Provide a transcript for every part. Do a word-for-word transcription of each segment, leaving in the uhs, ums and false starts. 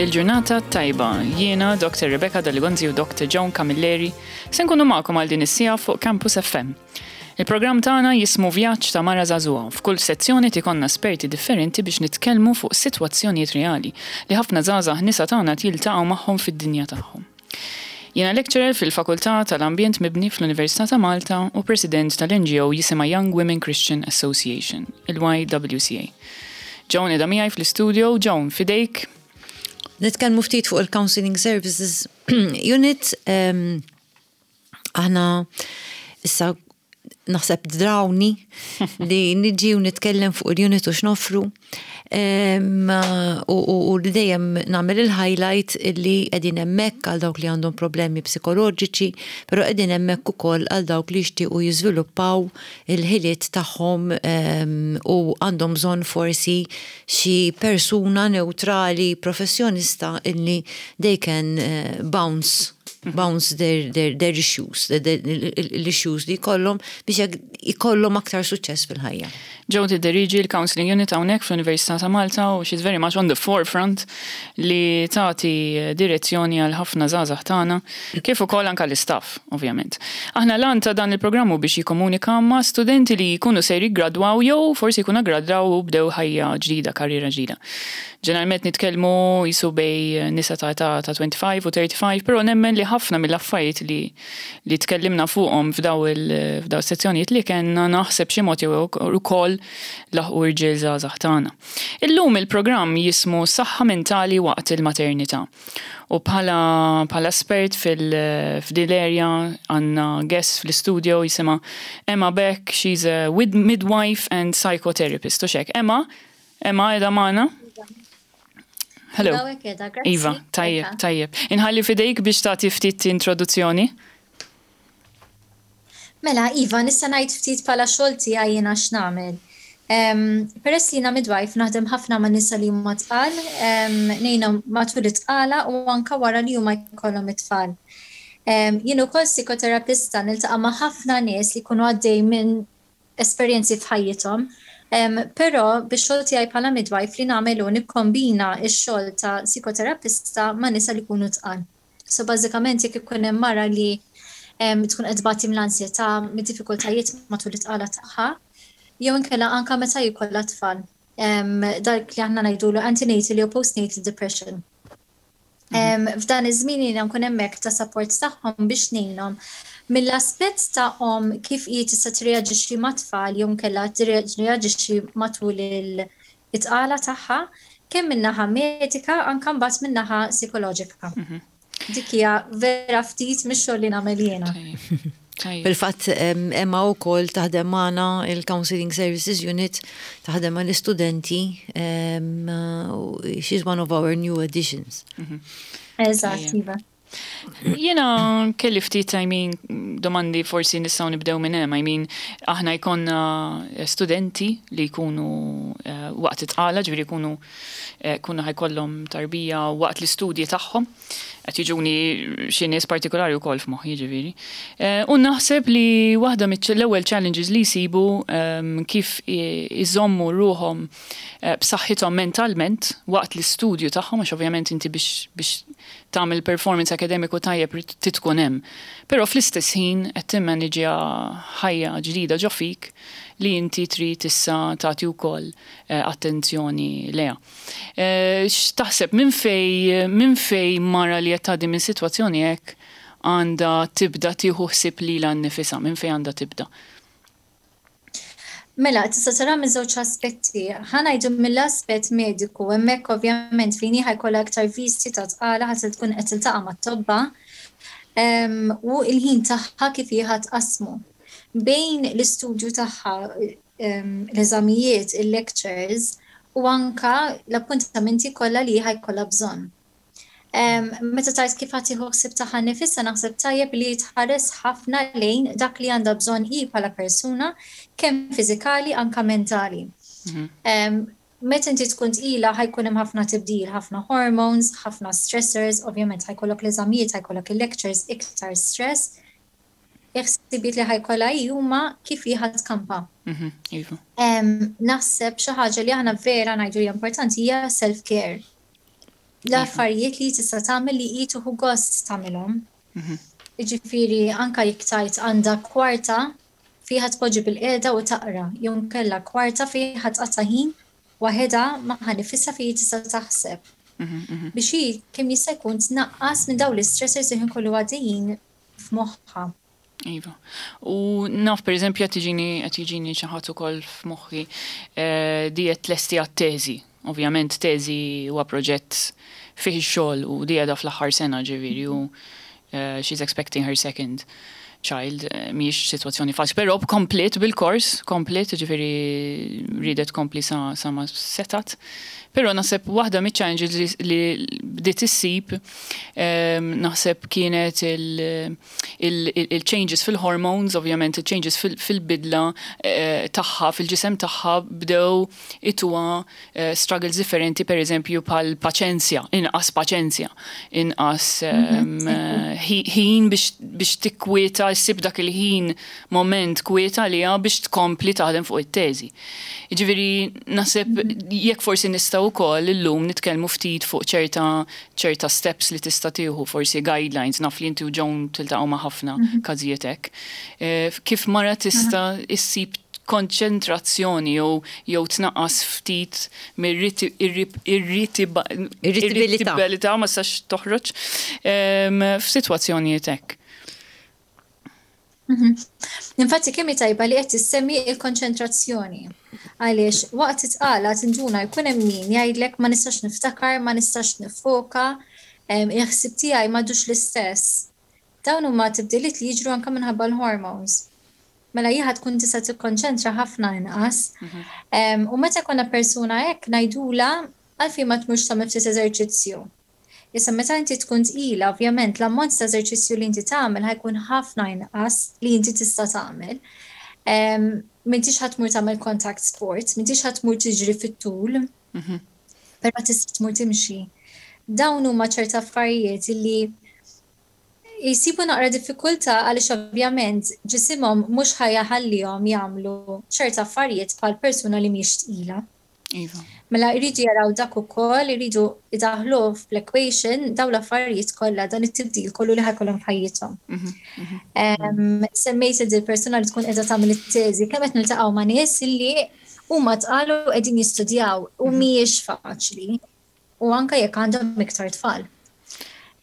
Il-ġurnata tajba, jiena Doctor Rebecca Daligonzi u Doctor Joan Camilleri se nkunu magħkom għal din is-siegħa fuq Campus F M. Il-programm tagħna jismu Vjaġġ ta' Mara Żagħżugħa. F'kull sezzjoni ikollna esperti differenti biex nitkellmu fuq sitwazzjonijiet reali li ħafna żgħażagħ nisa tagħna jiltaqgħu magħhom fid-dinja tagħhom. Jiena lecturer fil-Fakultà tal-Ambjent Mibni fl-Università ta' Malta u president tal-N G O jisimha Young Women Christian Association, il-Y W C A. Joan qiegħda miegħi fl-studio. Joan, f'idejk. Nitkellmu ftit fuq il-Counseling Services Unit. em, Aħna issa naħseb drawni li niġi u nitkellem fuq il-unit u x'noffru. Em, U u- u li dejjem nagħmel il-highlight li qegħdin hemmhekk għal dawk li għandhom problemi psikoloġiċi, però qegħdin hemmhekk ukoll għal dawk li jixtiequ jiżviluppaw il-ħiliet tagħhom em, u għandhom bżonn forsi xi persuna neutrali, professjonista illi they can eh, bounce bounce their, their, their issues, l-issues li jkollhom biex jekk ikollhom aktar suċċess fil-ħajja. Joan tidderiġi l-Counseling Unit hawnhekk fl-Università ta' Malta u she's very much on the forefront li tagħti direzzjoni għal ħafna żgħażagħ tagħna, kif ukoll anke l-istaff, ovvjament. Aħna l ta' dan il-programmu biex jikkomunika ma' studenti li jkunu se jiggradwaw jew forsi jkunu gradwaw u bdew ħajja ġdida, karriera ġdida. Ġeneralment nitkellmu jisu bejn nisa ta' ta' ta' twenty-five u thirty-five, però nemmen li ħafna mill-affarijiet li li tkellimna fuqhom f'daw il f'daw sezzjonijiet li kellna naħseb xi mod jew ukoll laħqu rġiel żgħażagħ tagħna. Illum il-programm jismu Saħħa Mentali waqt il-Maternità. U bħala bħala espert fil-f'din l-area għandna guest fl-studio jisimha Emma Beck, she's a wid- midwife and psychotherapist. U hekk. Emma, Emma qiegħda magħna? Hello. Hawnhekk qiegħda, grazzi. Iva, tajjeb, tajjeb. Inħalli f'idejk biex tagħti ftit introduzzjoni. Mela, iva, nista' ngħid ftit bħala xogħol tiegħi jiena x'nagħmel. Um, peress li jiena midwife naħdem ħafna ma' nisa li huma tqal, um, ngħinhom matul it-tqala u anka wara li huma jkollhom it-tfal. Um, jien ukoll psikoterapista, niltaqa' ma' ħafna nies li jkunu għaddej minn esperjenzi f'ħajjithom. Um, però bix-xogħol tiegħi bħala midwife li nagħmel hu nikkombina x-xogħol ta' psikoterapista ma' nisa li jkunu tqal. So bażikament jekk ikun hemm mara li em, tkun qed tbati mill-ansjetà, mid-diffikultajiet matul it-tqala tagħha, jew inkella anka meta jkollha tfal. Em, dak li aħna ngħidulu antenatal jew postnatal depression. Em, F'dan iż-żmien jiena nkun hemmhekk ta' support tagħhom biex ngħinhom mill-aspett tagħhom kif hi tista' tirreaġixxi mat-tfal jew inkella tirreaġixxi matul il-tqala tagħha, kemm min-naħa medika, anke mbagħad min-naħa psikoloġika. Dik hija vera ftit mix-xogħol li nagħmel jiena. Tajjeb. Fil-fatt em, Emma wkoll taħdem magħna il-Counseling Services Unit, taħdem mal-istudenti, em, u she's one of our new additions. Eżatt, iva. Jiena kelli ftit, I mean, domandi, forsi nistgħu nibdew minn hemm, I mean, aħna jkollna studenti li jkunu eh, waqt it-tqala, ġifieri jkunu eh, kunu ħa jkollhom tarbija waqt l-istudji tagħhom. Qed jiġuni xi nies partikolari wkoll f'moħħi, ġifieri. Eh, U naħseb li waħda mill-ewwel challenges li jsibu ehm, kif i- iżommu ruħhom eh, b'saħħithom mentalment waqt l-istudju tagħhom, għax ovvjament inti biex biex tagħmel performance akademiku tajjeb trid tkun hemm. Però fl-istess ħin qed timmaniġja ħajja ġdida ġo fik li inti trid issa tagħti wkoll eh, attenzjoni leha. Eh, X'taħseb, minn fej minn fej mara li qed tgħaddi minn sitwazzjoni hekk għandha tibda tieħu ħsieb lilha nnifisha, minn fejn għandha tibda? Mela, tista' tara minn żewġ aspetti. Ħa ngħidu mill-aspett mediku, hemmhekk ovvjament fejn hi ħa jkollha aktar visti ta' tqala, ħa tkun qed tiltaqa' mat-tobba em, u il-ħin tagħha kif hi ħa tqassmu. Bejn l-istudju tagħha, em, l-eżamijiet, il-lectures u anka l-appuntamenti kollha li ħa jkollha bżonn. Em, Meta tgħid kif ħa tieħu ħsieb tagħha nnifisha, naħseb tajjeb li tħares ħafna lejn dak li għandha bżonn hi bħala persuna, kemm fiżikali anka mentali. Em, Meta inti tkun tqila ħa jkun hemm ħafna tibdil, ħafna hormones, ħafna stressors, ovvjament ħa jkollok l-eżamijiet, ħa jkollok il-lectures, iktar stress. Il-ħsibijiet li ħa jkollha hi huma kif hi ħa tkampa. Mhm, Iva. Em, Naħseb xi ħaġa li aħna vera ngħidu hija importanti hija self-care. L-affarijiet li tista' tagħmel li hi tieħu gost tagħmilhom. Jiġifieri anka jekk tajt għandha kwarta fiha tpoġġi bilqiegħda u taqra, jew inkella kwarta fiha tqatta' ħin waħedha magħha nfisha fejn tista' taħseb. Biex hi kemm jista' jkun tnaqqas minn dawn l-istressors li kollu għaddejjin f'moħħha. Iva. U naf, per eżempju, qed tiġini qed jiġini xi ħadd ukoll f'moħħi eh, di qed tlesti għat-teżi. Ovvjament teżi huwa proġett fih ix-xogħol u di qiegħda fl-aħħar sena, ġifieri, u eh, she's expecting her second child, eh, mhijiex sitwazzjoni faċli, però komplet bil-kors, komplet, ġifieri ridet kompli sa, sa ma setat. Però naħseb waħda miċ-challenges li, li bdiet issib em, naħseb kienet il-changes fil-hormones, ovvjament il-changes fil-bidla eh, tagħha, fil-ġisem tagħha bdew ituha eh, struggles differenti, per eżempju bħal paċenzja, inqas paċenzja, inqas em, eh, ħin biex biex tikwieta, ssib dak il-ħin moment kwieta li biex tkompli taħdem fuq it-teżi. Ġifieri, naħseb jekk forsi nistgħu wkoll illum nitkellmu ftit fuq ċerta ċerta steps li tista' tieħu, forsi guidelines, naf li inti u Joan tiltaqgħu ma' ħafna każijiet hekk. Eh, Kif mara tista' issib konċentrazzjoni jew jew tnaqqas ftit mir-irritabilità irritabilità, ma sax toħroġ em, f'sitwazzjonijiet hekk. Infatti kemm hi tajba li qed tissemmi il-konċentrazzjoni. Għaliex waqt it-tqala tinduna jkun hemm min jgħidlek ma nistax niftakar, ma nistax nifoka, em, il-ħsib tiegħi m'għadux l-istess. Dawn huma tibdiliet li jiġru anke minħabba l-hormones. Mela hija tkun tista' tikkonċentra ħafna inqas. Em, U meta jkollna persuna hekk ngħidula għalfejn ma tmurx tagħmel ftit eżerċizzju. Issa meta inti tkun tqila, ovvjament l-ammont ta' eżerċizzju li inti tagħmel ħa jkun ħafna inqas li inti tista' tagħmel. Em, M'intix ħa tmur tagħmel contact sport, m'intix ħa tmur tiġri fit-tul, però tista' tmur timxi. Dawn huma ċerta affarijiet li jisibu naqra diffikultà għaliex ovvjament ġisimhom mhux ħa jħallihom jagħmlu ċerta affarijiet bħal persuna li mhix tqila. Iva. Mela jridu jaraw dak ukoll, jridu idaħlu fl-equation dawn l-affarijiet kollha, dan it-tibdil kollu li ħa jkollhom f'ħajjithom. Em, Semmejt il persuna li tkun qiegħda tagħmel it-teżi, kemm qed niltaqgħu ma' nies illi huma tqalu qegħdin jistudjaw u mhijiex faċli. U anke jekk għandhom iktar tfal.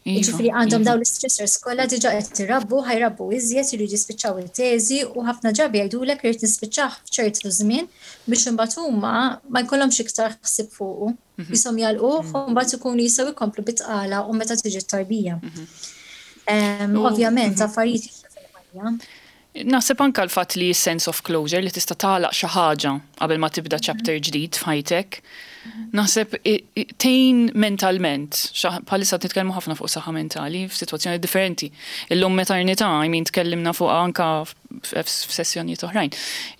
Iva, Jiġifieri għandhom iva. dawn l-stressors kollha, diġà qed irabbu, ħa jrabbu iżjed, iridu jispiċċaw it-teżi u ħafna drabi jgħidulek irid nispiċċah f'ċertu żmien biex imbagħad huma ma jkollhomx iktar ħsieb fuqu. Jisom jagħlquh u mbagħad ikunu jistgħu jkomplu bit-tqala u meta tiġi t-tarbija. Em, U- Ovvjament affarijiet jiġru fil-ħajja. Naħseb anka l-fatt li sense of closure, li tista' tagħlaq xi ħaġa qabel ma tibda chapter ġdid f'ħajtek. Naħseb i- i- tgħin mentalment, xa- bħalissa nitkellmu ħafna fuq saħħa mentali f'sitwazzjoni differenti. Illum maternità, I mean, tkellimna fuq anka f- f'sessjonijiet oħrajn.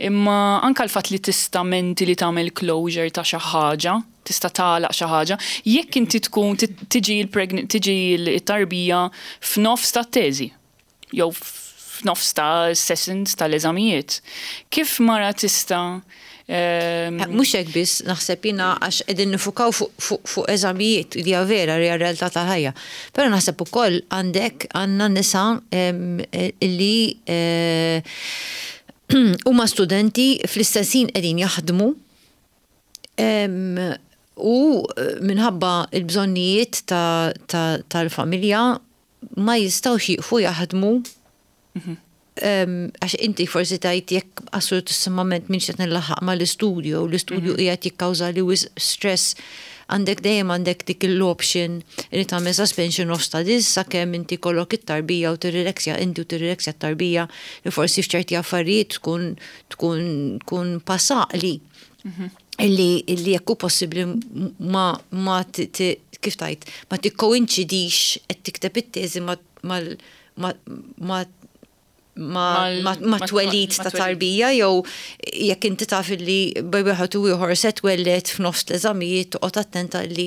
Imma anka l-fatt li tista' mentally tagħmel closure ta' xi ħaġa, tista' tagħlaq xi ħaġa, jekk inti tkun ti- tiġi l-pregn- tiġi l-tarbija f'nofs ta' teżi jew f'nofs ta' sessions tal-eżamijiet. Kif mara tista' ehm, Mhux hekk biss, naħseb jiena għax qegħdin nifukaw fuq fu, fu eżamijiet li hija vera, li hija realtà tal-ħajja. Però naħseb ukoll għandek għandna nisa em, eh, li eh, huma studenti, fl-istess ħin qegħdin jaħdmu em, u eh, minħabba il-bżonnijiet ta- ta- tal-familja ma jistgħux jiqfu jaħdmu. Em, għax inti forsi tajt jekk assolutissimament minn qed nilaħħaq ma l-istudju, u l-istudju qiegħed jikkawża li wisq stress, għandek dejjem għandek dik l-option li tagħmel suspension of studies sakemm inti kollok it-tarbija u tirrileksja inti u tirrileksja t-tarbija, li forsi f'ċerti affarijiet tkun tkun tkun pasaqli illi illi jekk hu possibbli ma ma ti- ti- kif tajt ma tikkoinċidix qed tikteb it-teżi ma ma ma ma ma Mal- ma, ma ma twelid ma ta' twelid. tarbija, jew jekk inti taf li bejn wieħed u ieħor se twelled f'nofs l-eżamijiet, toqgħod attenta li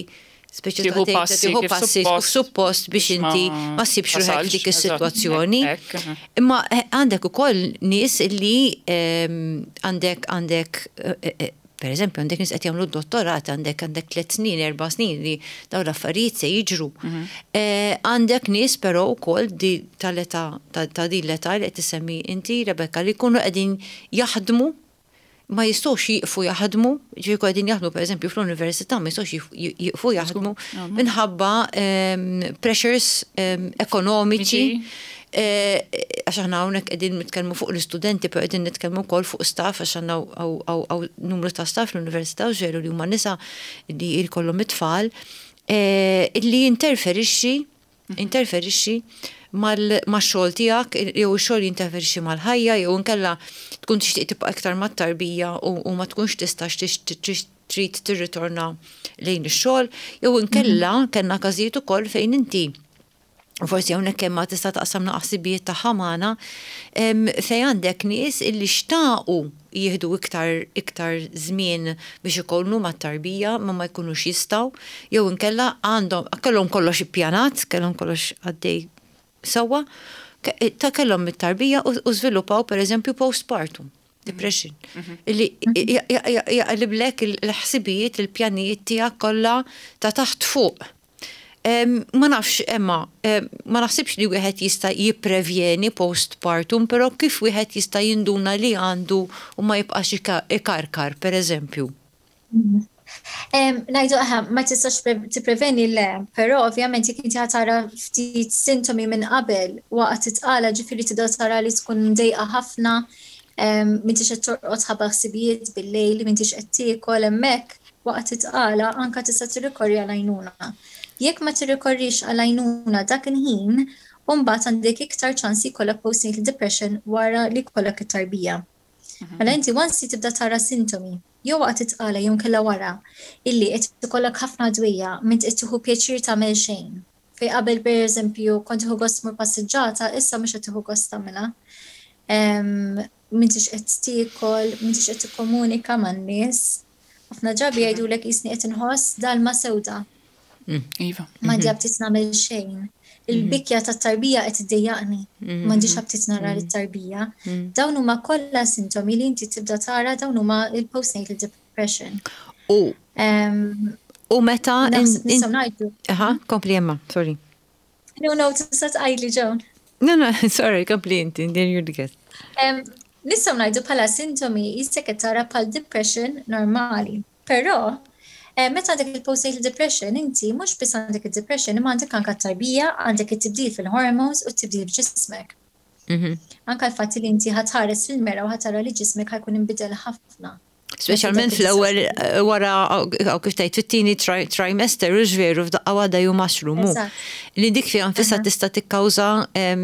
speċi tieħu ta' passi tieħu kif passi suppost suppost biex biex ma inti ma ssibx ruħek tasalx, f'dik eżatt, is-sitwazzjoni. hekk, aha. Imma eh, għandek ukoll nies li ehm, għandek għandek eh, eh, Per eżempju, għandek nies qed jagħmlu dottorat, għandek għandek tliet snin, erba' snin li dawn l-affarijiet se jiġru. Mhm. Eh, għandek nies però wkoll di tal-età ta' din l-età li qed tisemmi inti, Rebecca, li jkunu qegħdin jaħdmu, ma jistgħux jiqfu jaħdmu, ġifieri qegħdin jaħdmu pereżempju fl-università, ma jistgħux jiqfu jaħdmu minħabba ehm, pressures ehm, ekonomiċi. Eh, għax aħna hawnhekk qegħdin nitkellmu fuq l-istudenti, però qegħdin nitkellmu wkoll fuq staff, għax għandna numru ta' staff l-università u ġeru li huma nisa li jkollhom it-tfal, eh, li jinterferixxi interferixxi mal-xogħol tiegħek jew ix-xogħol jinterferixxi mal-ħajja jew inkella tkun tixtieq tibqa' iktar mat-tarbija u ma tkunx tistax trid tirritorna lejn ix-xogħol jew inkella kellna każijiet ukoll fejn inti, forsi hawnhekk hemm ma tista' taqsam ħsibijiet tagħha magħna, fejn għandek nies illi xtaqu jieħdu iktar iktar żmien biex ikunu mat-tarbija ma ma jkunux jistgħu jew inkella għandhom kellhom kollox ippjanat, kellhom kollox għaddej sewwa, ta' kellhom it-tarbija u żviluppaw pereżempju postpartum depression. Mhm. Illi jaqliblek il-ħsibijiet, il-pjanijiet tiegħek kollha ta' taħt fuq. Ma nafx, Emma, ma naħsibx li wieħed jista' jipprevjeni postpartum, però kif wieħed jista' jinduna li għandu u ma jibqax ikarkar, per eżempju? Ngħidu aħna ma tistax tippreveni le, però ovvjament jekk inti tara ftit sintomi minn qabel waqt it-tqala, ġifieri tibda tara li tkun mdejqa ħafna, m'intix qed torqod ħabba ħsibijiet bil-lejl, m'intix qed tiekol hemmhekk waqt it-tqala, anka tista' tirrikorri għal għajnuna. Jekk ma tirrikorrix għal għajnuna dak il-ħin, mbagħad għandek iktar ċansi jkollok postnatal depression wara li jkollok it-tarbija. Mhm. Mela inti once tibda tara sintomi, jew waqt it-tqala jew kella wara, illi qed ikollok ħafna dwejjaq, m'int qed tieħu pjaċir tagħmel xejn. Fej qabel, pereżempju, kont tieħu gost tmur passiġġata, issa mhux qed tieħu gost tagħmilha. M'intix qed tiekol, m'intix qed tikkomunika man-nies. Ħafna drabi jgħidulek qisni qed inħoss dalma sewda. Mm. Iva. M'għandi mhm. aptit nagħmel xejn. Il-bikja tat-tarbija qed iddejjaqni. Mhm. M'għandix aptit nara lit-tarbija. Mhm. Dawn huma kollha sintomi li inti tibda tara, dawn huma il-postnatal depression. U u meta nistgħu ngħidu. Aha, kompli Emma, sorry. No, no, tista' tgħidli, Joan. No, no, sorry, kompli inti, then you're the guest. Nistgħu ngħidu bħala sintomi jistek qed tara bħal depression normali. Però Eh, meta għandek il-postnatal depression, inti mhux biss għandek il-depression, imma għandek anka tarbija, għandek it-tibdil fil-hormones u t-tibdil f'ġismek. Mhm. Anka l-fatt li inti ħa tħares fil-mera u ħa tara li ġismek ħa jkun inbidel ħafna. Speċjalment fl-ewwel eh, wara aw kif tgħid fit-tieni trimester u veru f'daqqa waħda ju mushroom. Li dik fiha nfisha tista' tikkawża eh,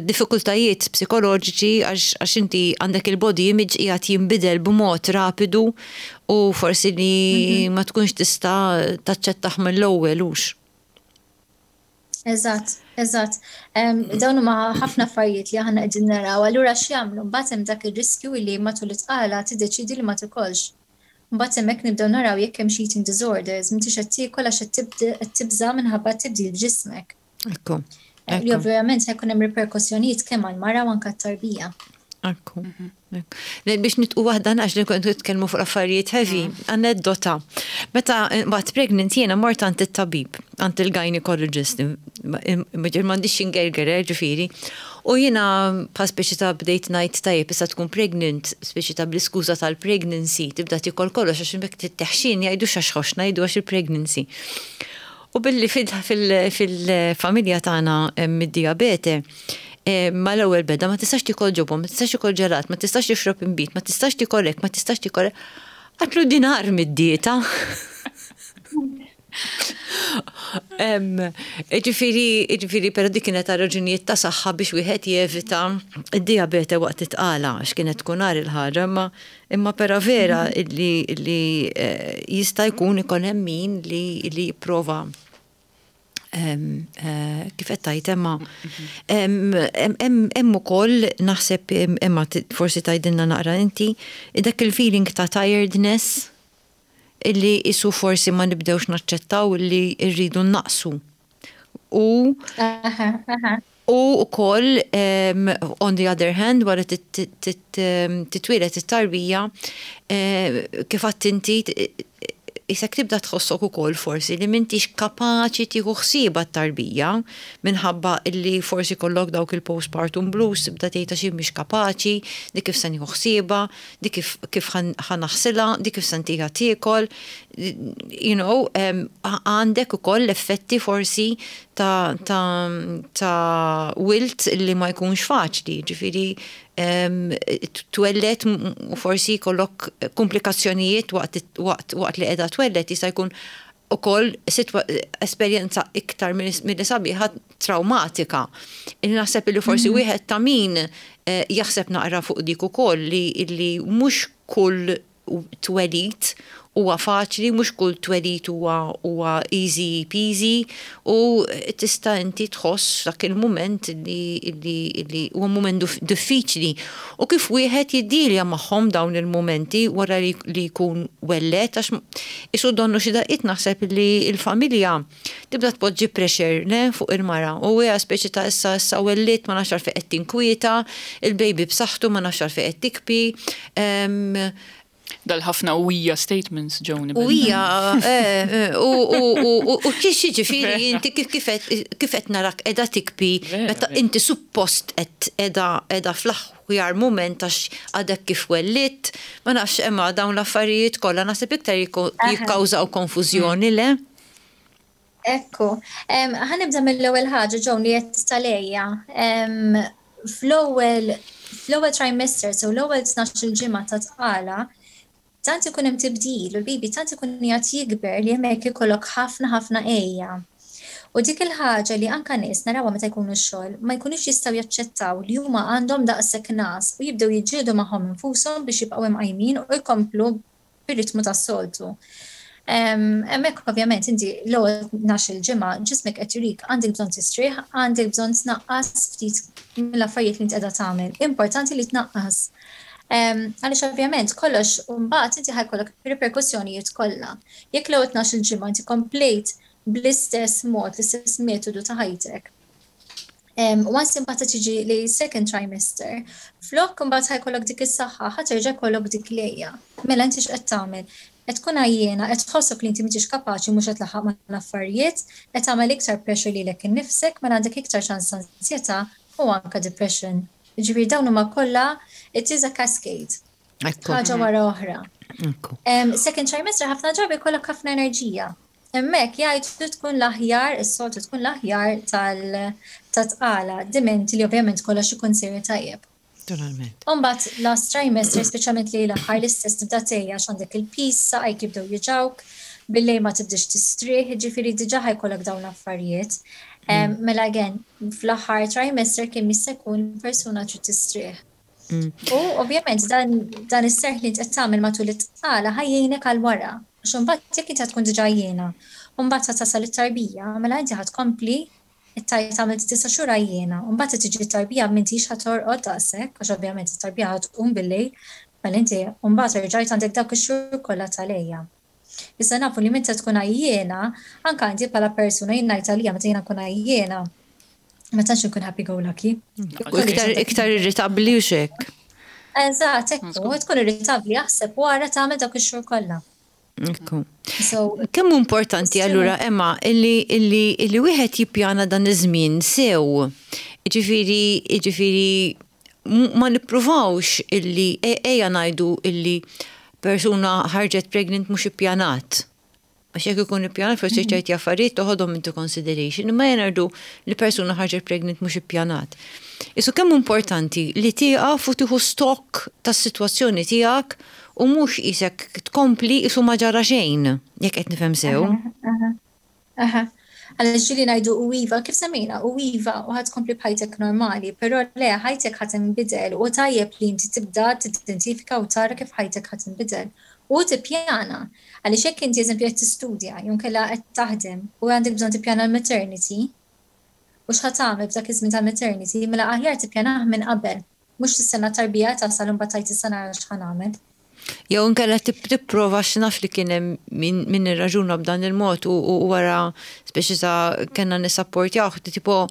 diffikultajiet psikoloġiċi għax inti għandek il-body image qiegħed jinbidel b'mod rapidu u forsi li mhm. ma tkunx tista' taċċettaħ mill-ewwel hux. Eżatt, eżatt. Dawn huma ħafna affarijiet li aħna qegħdin naraw. Allura x'jagħmlu? Mbagħad hemm dak ir-riskju li matul it-tqala tiddeċidi li ma tikolx. Mbagħad hemmhekk nibdew naraw jekk hemm eating disorders, m'intix qed tiekol għax qed tibża' minħabba tibdil f'ġismek. Ekku. Eh, li ovvjament ħa jkun hemm riperkussjonijiet kemm għall-mara u anke t-tarbija. Ekku. Biex nitqu waħda għax li kontu nitkellmu fuq affarijiet heavy, aneddota. Meta bat pregnant jiena mort għand it-tabib, għand il-gynecologist, m'għandix ingerger, eh, ġifieri. U jiena pa speċi ta' bdejt ngħid tajjeb issa tkun pregnant, speċi ta' bl-iskuża tal-pregnancy, tibda tikol kollox għax imbek titteħxin jgħidu xax ħoxna jgħidu għax il-pregnancy. U billi fil-familja tagħna mid-diabete, eh, ma l-ewwel beda ma tistax tikol ġobon, ma tistax tikol ġelat, ma tistax tixrob imbit, ma tistax tikol hekk, ma tistax tikol hekk. Għatlu dinar mid-dieta. Ġifieri, ġifieri, però dik kienet ta' raġunijiet ta' saħħa biex wieħed jevita id-diabete waqt it-tqala, għax kienet tkun għar il-ħaġa, imma imma pera vera li li eh, jista' jkun ikun hemm min li li jipprova eh, kif qed tgħid Emma, hemm ukoll naħseb, Emma, forsi tgħidilna naqra inti dak il-feeling ta' tiredness illi isu forsi ma nibdewx naċċettaw illi rridu naqsu. U U wkoll, on the other hand, wara titwieled it-tarbija, eh, kif għedt inti, qisek tibda tħossok ukoll forsi li m'intix kapaċi tieħu ħsieba t-tarbija minħabba illi forsi kollok dawk il-postpartum blues, tibda tgħid xi mhix kapaċi, di kif se nieħu ħsieba, di kif kif ħa naħsilha, di kif se ntiha tiekol, you know, għandek ukoll effetti forsi ta' ta' ta' wilt li ma jkunx faċli, ġifieri twelled u forsi jkollok komplikazzjonijiet waqt, waqt, waqt li qiegħda twelled, jista' jkun ukoll esperjenza iktar milli sabiħa, traumatika. Naħseb li forsi mhm. wieħed ta' min eh, jaħseb naqra fuq dik ukoll li, li mhux kull twelid huwa faċli, mhux kull twelid huwa huwa easy peasy u tista' inti tħoss dak il-mument li li li huwa mument diffiċli. U kif wieħed jiddilja magħhom dawn il-mumenti wara li, li jkun welled, għax isu donnu xi daqqiet naħseb li l-familja tibda tpoġġi pressure, ne, fuq il-mara u hija speċi ta' issa issa wellidt, ma nafx għalfejn qed tinkwieta, il-baby b'saħħtu, ma nafx għalfejn qed tibki. Dal-ħafna u hija statements ġewni. U hija, eh, eh, u kif ġifieri inti kif qed narak qiegħda tibki meta inti suppost qed qiegħda qiegħda fl-aħjar mument għax għadek kif wellidt, ma nafx, imma dawn l-affarijiet kollha naħseb iktar jikkawżaw konfużjoni, le? Ekku, ħa nibda mill-ewwel ħaġa ġew li qed tal-għeja. Fl-ewwel fl-ewwel trimester, so l-ewwel tnax-il ġimgħa ta' tqala, tant ikun hemm tibdil u l-baby tant ikun qiegħed jikber li hemmhekk ikollok ħafna ħafna għeja. U dik il-ħaġa li anka nies narawha meta jkunu x-xogħol, ma jkunux jistgħu jaċċettaw li huma għandhom daqshekk ngħas u jibdew jiġġieldu magħhom infushom biex jibqgħu imqajmin u jkomplu bir-ritmu tas-soltu. Hemmhekk ovvjament inti l-ewwel tnax-il ġimgħa ġismek qed jurik għandek bżonn tistrieħ, għandek bżonn tnaqqas ftit mill-affarijiet li inti qiegħda tagħmel. Importanti li tnaqqas. Għaliex ovvjament kollox mbagħad inti ħa jkollok reperkussjonijiet kollha. Jekk l-ewwel tnax-il ġimgħa inti komplejt bl-istess mod, l-istess metodu ta' ħajtek, once imbagħad tiġi li second trimester, flok imbagħad ħa jkollok dik is-saħħa, ħa terġa' jkollok dik l-għeja. Mela inti x'qed tagħmel? Qed tkun għajjiena, qed tħossok li inti m'intix kapaċi, mhux qed tlaħħaq mal-affarijiet, qed tagħmel iktar pressure lilek innifsek, mela għandek iktar ċans ansjetà u anka depression. Ġifieri dawn huma kollha, it is a cascade. Ħaġa wara oħra. Second trimester ħafna drabi jkollok ħafna enerġija. Hemmhekk jgħidu tkun l-aħjar, is-soltu tkun l-aħjar tal-tqala, diment li ovvjament kollox ikun sejjer tajjeb. Naturalment. Imbagħad last trimester, speċjalment li l-aħħar, l-istess, tibda tgħejja għax għandek il-piż, saqajk jibdew juġgħuk, billejl ma tibdix tistrieħ, ġifieri diġà ħa jkollok dawn l-affarijiet. Mm. Mela again, fl-aħħar trimester kemm jista' jkun persuna trid tistrieħ. Mm. U ovvjament dan, dan is-serħ li qed tagħmel matul it-tqala ħa jgħinek għal wara. Għax imbagħad jekk inti tkun diġà għajjiena, u mbagħad tasal it-tarbija, mela inti ħa tkompli it-tajt tagħmel tisa' xhur għajjiena, u mbagħad tiġi t-tarbija, m'intix ħa torqod daqshekk, għax ovvjament it-tarbija ħa tqum billejl, mela inti mbagħad rġajt għandek dawk ix-xhur kollha tal-għeja. Issa nafu li meta tkun għajjiena, anka inti bħala persuna, jien ngħid għalija, meta jiena nkun għajjiena, ma tantx nkun happy go lucky. Iktar iktar irritabbli u xek. Eżatt, ekku, tkun irritabbli, aħseb wara tagħmel dawk ix-xhur kollha. Ekku. Kemm importanti allura, Emma, illi illi illi wieħed jippjana dan iż-żmien sew? Ġifieri ġifieri ma nippruvawx illi e- ejja ngħidu illi persuna ħarġet pregnant mhux ippjanat. Għax jekk ikun ippjanat forsi mhm. ċerti affarijiet toħodhom into consideration, imma ejja ngħidu li persuna ħarġet pregnant mhux ippjanat. Isu kemm importanti li tieqaf u tieħu stock tas-sitwazzjoni tiegħek u mhux qisek tkompli isu ma ġara xejn, jekk qed nifhem sew. Aha. Għaliex ġieli ngħidu u iva, kif semmejna, u iva, u ħa tkompli b'ħajtek normali, però le, ħajtek ħa tinbidel u tajjeb li inti tibda tidentifika u tara kif ħajtek ħa tinbidel. U tippjana, għaliex jekk inti eżempju qed tistudja, jew inkella qed taħdem u għandek bżonn tippjana l-maternity, u x'ħa tagħmel f'dak iż-żmien tal-maternity, mela aħjar tippjanah minn qabel, mhux tistenna tarbija tasal u mbagħad tgħid issa nara x'ħa nagħmel. Jew inkella tipprova, x'naf, li kien hemm min irraġuna b'dan il-mod u wara speċi ta' kellna nissapportjaw, tipo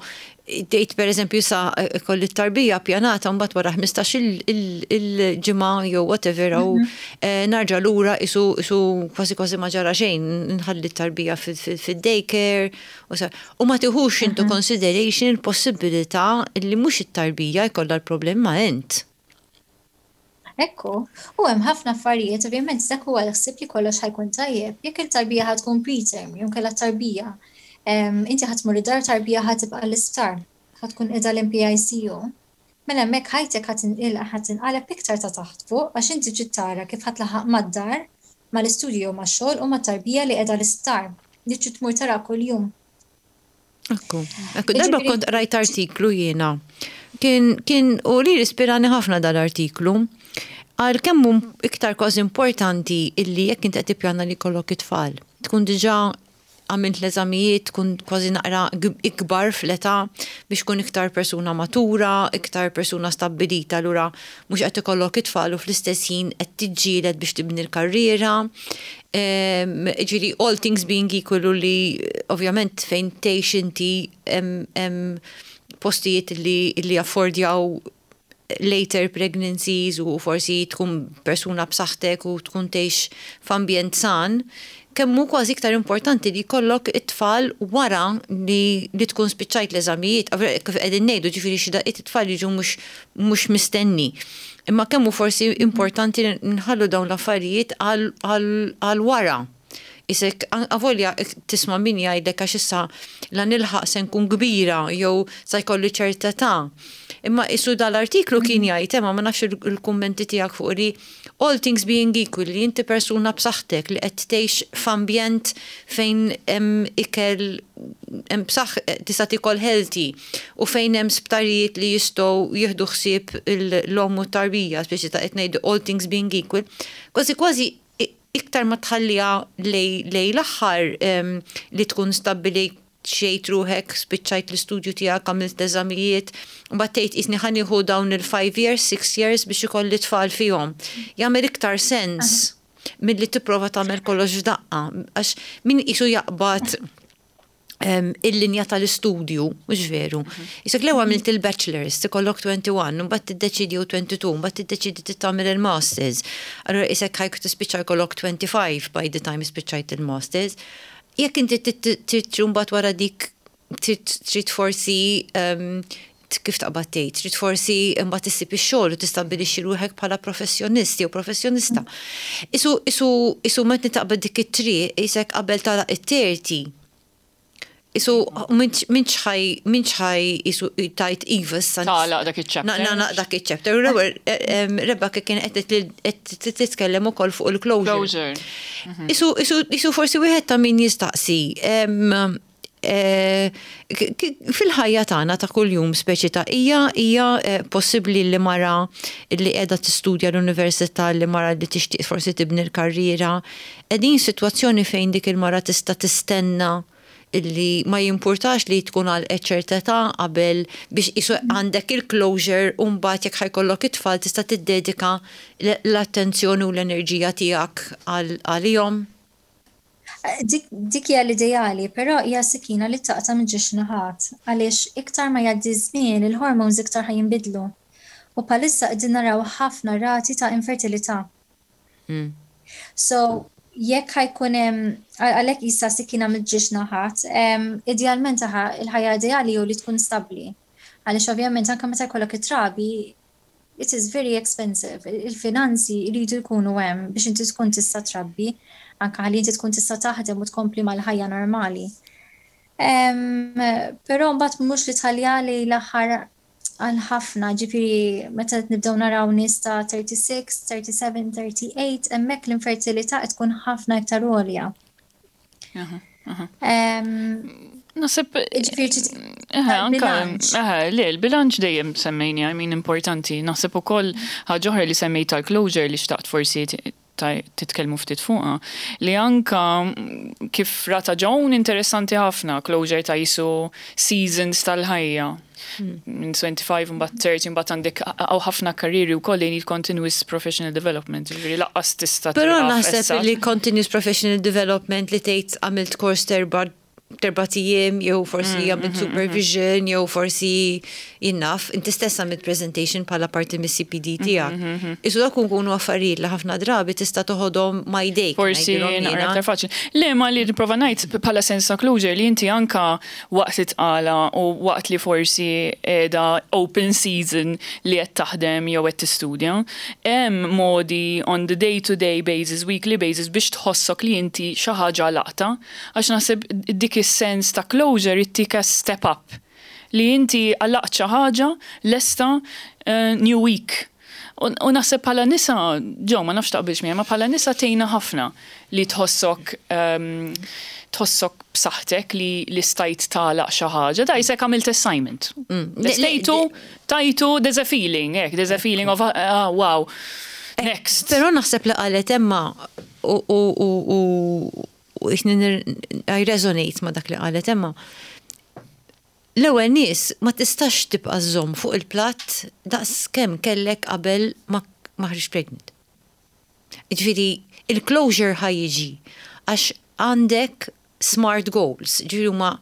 Tgħid, per eżempju, sa kolli tarbija pjanata, mbagħad wara ħmistax il-ġimgħa jew whatever u mhm. eh, narġa' lura isu isu kważi kważi ma ġara xejn, nħalli t-tarbija fid-daycare u ma tiħux into mhm. consideration il-possibilità li mhux it-tarbija jkollha l-problem ma int. Ekku, u hemm ħafna affarijiet, ovvjament dak huwa l-ħsieb li kollox ħa jkun tajjeb. Jekk il-tarbija ħa tkun preterm, jew kellha tarbija, inti ħa tmur id-dar, tarbija ħa tibqa' l-isptar, ħa tkun qiegħda l-P I C U. Mela hemmhekk ħajtek ħa tinqaleb iktar ta' taħt fuq, għax inti trid tara kif ħa tlaħħaq mad-dar, mal-istudju, max-xogħol u mat-tarbija li qiegħda l-isptar li trid tmur tara kuljum. Ekku, ekku, darba kont rajt artiklu jiena. Kien, kien, u li ispirani ħafna dal-artiklu. Għal kemm iktar kważi importanti illi jekk inti qed tippjana li jkollok it-tfal, tkun diġà għamilt l-eżamijiet, tkun kważi naqra ikbar fl-età biex tkun iktar persuna matura, iktar persuna stabilita, allura mhux qed ikollok it-tfal u fl-istess ħin qed tiġġieled biex tibni l-karriera. Ġifieri, all things being equal, li ovvjament fejn tgħix inti hemm postijiet li, li affordjaw later pregnancies u forsi tkun persuna b'saħħtek u tkun tgħix f'ambjent san, kemm hu kważi iktar importanti li jkollok it-tfal wara li, li tkun spiċċajt l-eżamijiet, kif qegħdin ngħidu, ġifieri xi daqqiet it-tfal jiġu mhux mhux mistenni. Imma kemm hu forsi importanti nħallu dawn l-affarijiet għal wara. Isek, avolja tisma' min jgħidlek għax issa la nilħaq se nkun kbira jew sa jkolli ċerta età. Imma isu dal-artiklu kien jgħid, ma ma nafx il-kummenti tiegħek fuq li all things being equal, li inti persuna b'saħħtek li qed tgħix f'ambjent fejn hemm ikel hemm b'saħ tista' tikol healthy u fejn hemm sptarijiet li jistgħu jieħdu ħsieb l-omm u t-tarbija, speċi ta' qed ngħidu all things being equal, kważi kważi iktar ma tħalliha lejn l-aħħar li tkun stabili xejt ruħek, spiċċajt l-istudju tiegħek, għamilt eżamijiet, u battejt isni ħa nieħu dawn il-five years, six years biex ikolli tfal fihom. Jagħmel iktar sens milli tipprova tagħmel kollox f'daqqa, għax min isu jaqbad il-linja tal-istudju, mhux veru? Isek l għamilt il-bachelor's, tikollok wieħed u għoxrin, mbagħad tiddeċidi u tnejn u għoxrin, mbagħad tiddeċidi tagħmel il-masters. Allura isek ħajk tispiċċa jkollok twenty-five by the time spiċċajt il-masters. Jekk inti trid mbagħad wara dik trid forsi, kif taqbad tgħid, trid forsi mbagħad issib ix-xogħol u tistabbilixxi ruħek bħala professjonist jew professjonista. Isu isu isu meta taqbad dik it-triq isek qabel tagħlaq it-thirty. Isu minx ħaj minx ħaj isu tajt iva issa. Tagħlaq dak iċ-chapter. Na dak iċ-chapter. U l-ewwel Rebecca kien qed titkellem ukoll fuq il-closure. Closure. Isu isu isu forsi wieħed ta' min jistaqsi eh, fil-ħajja tagħna ta' kuljum, speċi ta' hija hija eh, possibbli li mara li qiegħda tistudja l-università, li mara li tixtieq forsi tibni l-karriera, qegħdin sitwazzjoni fejn dik il-mara tista' tistenna illi ma jimpurtax li tkun għal ċerta età qabel biex isu għandek il-closure u mbagħad jekk ħa jkollok it-tfal tista' tiddedika l-attenzjoni u l-enerġija tiegħek għalihom? Dik dik hija l-ideali, però hija sikina li taqta' minn żewġ naħat, għaliex iktar ma jgħaddi żmien, il-hormones iktar ħa jinbidlu. U bħalissa qegħdin naraw ħafna rati ta' infertilità. Mm. So, jekk ħa jkun hemm, għalhekk issa sikina minn żewġ naħat, em, idealment aħa il-ħajja ideali hu li tkun stabbli. Għaliex ovvjament anke meta jkollok it-trabi, it is very expensive. Il-finanzi jridu jkunu hemm biex inti tkun tista' trabbi, anke ħalli inti tkun tista' taħdem u tkompli mal-ħajja normali. Em, Però mbagħad mhux li tħalliha li l-aħħar għal ħafna, ġifieri meta nibdew naraw nies ta' tlieta u tletin, tlieta u sebgħin, tlieta u tletin, hemmhekk l-infertilità qed tkun ħafna iktar għolja. Aha, aha. Em, Naħseb. Ġifieri trid Eħe, anka, bilanċ. eħe, le, il-bilanċ dejjem semmejni, I mean, importanti. Naħseb ukoll ħaġa oħra li semmejt tal-closure li xtaqt forsi t- ta- titkellmu ftit fuqha, li anka mm, kif rata Joan interessanti ħafna, closure ta' jisu seasons tal-ħajja. Minn tlieta u għoxrin mbagħad tletin, mbagħad għandek hawn ħafna karriri wkoll li need continuous professional development. Ġifieri lanqas tista' Però tieqaf naħseb issa. li continuous professional development li tgħid għamilt kors terba Erbat ijiem, jew forsi għamilt supervision, jew forsi jien naf, inti stess għamilt presentation bħala parti mis-C P D tiegħek. Isu dak kunu affarijiet li ħafna drabi tista' toħodhom ma' jdejk. Forsi ngħidilhom naqra jiena. aktar faċli. Le, ma li nipprova ngħid bħala sens ta' closure li inti anka waqt it-tqala u waqt li forsi qiegħda open season li qed taħdem jew qed tistudja, hemm modi on the day to day basis, weekly basis, biex tħossok li inti xi ħaġa laqta, għax naħseb dik is-sens ta' closure ittik a step up li inti għalaqt xi ħaġa lesta uh, new week. U u naħseb bħala nisa, ġo, ma nafx taqbilx miegħi, ma bħala nisa tgħinna ħafna li tħossok um, tħossok b'saħħtek li, li stajt tagħlaq xi ħaġa. Da jisek għamilt assignment. Mm. Le- le- Stajtu, tajtu, there's a feeling, ek, there's a feeling of, ah, wow, next. Però naħseb li qalet Emma u u u u u I resonate ma dak li qalet Emma. L-ewwel nies, ma tistax tibqa' żomm fuq il-platt daqs kemm kellek qabel ma ma ħriġt pregnant. Ġifieri il-closure ħa jiġi għax għandek smart goals, ġifieri huma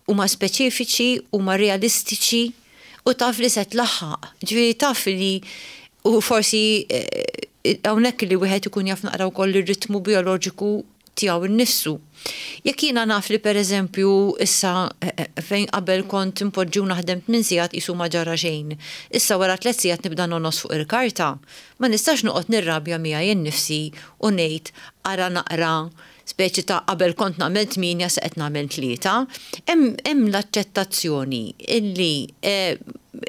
huma speċifiċi, huma realistiċi u taf li se tlaħħaq. Ġifieri taf li u forsi eh, hawnhekk li wieħed ikun jaf naqra wkoll ir-ritmu bioloġiku tiegħu nnifsu. Jekk jiena naf li, pereżempju, issa eh, eh, fejn qabel kont impoġġu naħdem tmien sigħat isu ma ġara xejn, issa wara tliet sigħat nibda nongħos fuq il-karta, ma nistax noqgħod nirrabja miegħi nnifsi u ngħid ara naqra, speċi ta' qabel kont nagħmel tmienja, se qed nagħmel tlieta. Hemm hemm l-aċċettazzjoni illi eh,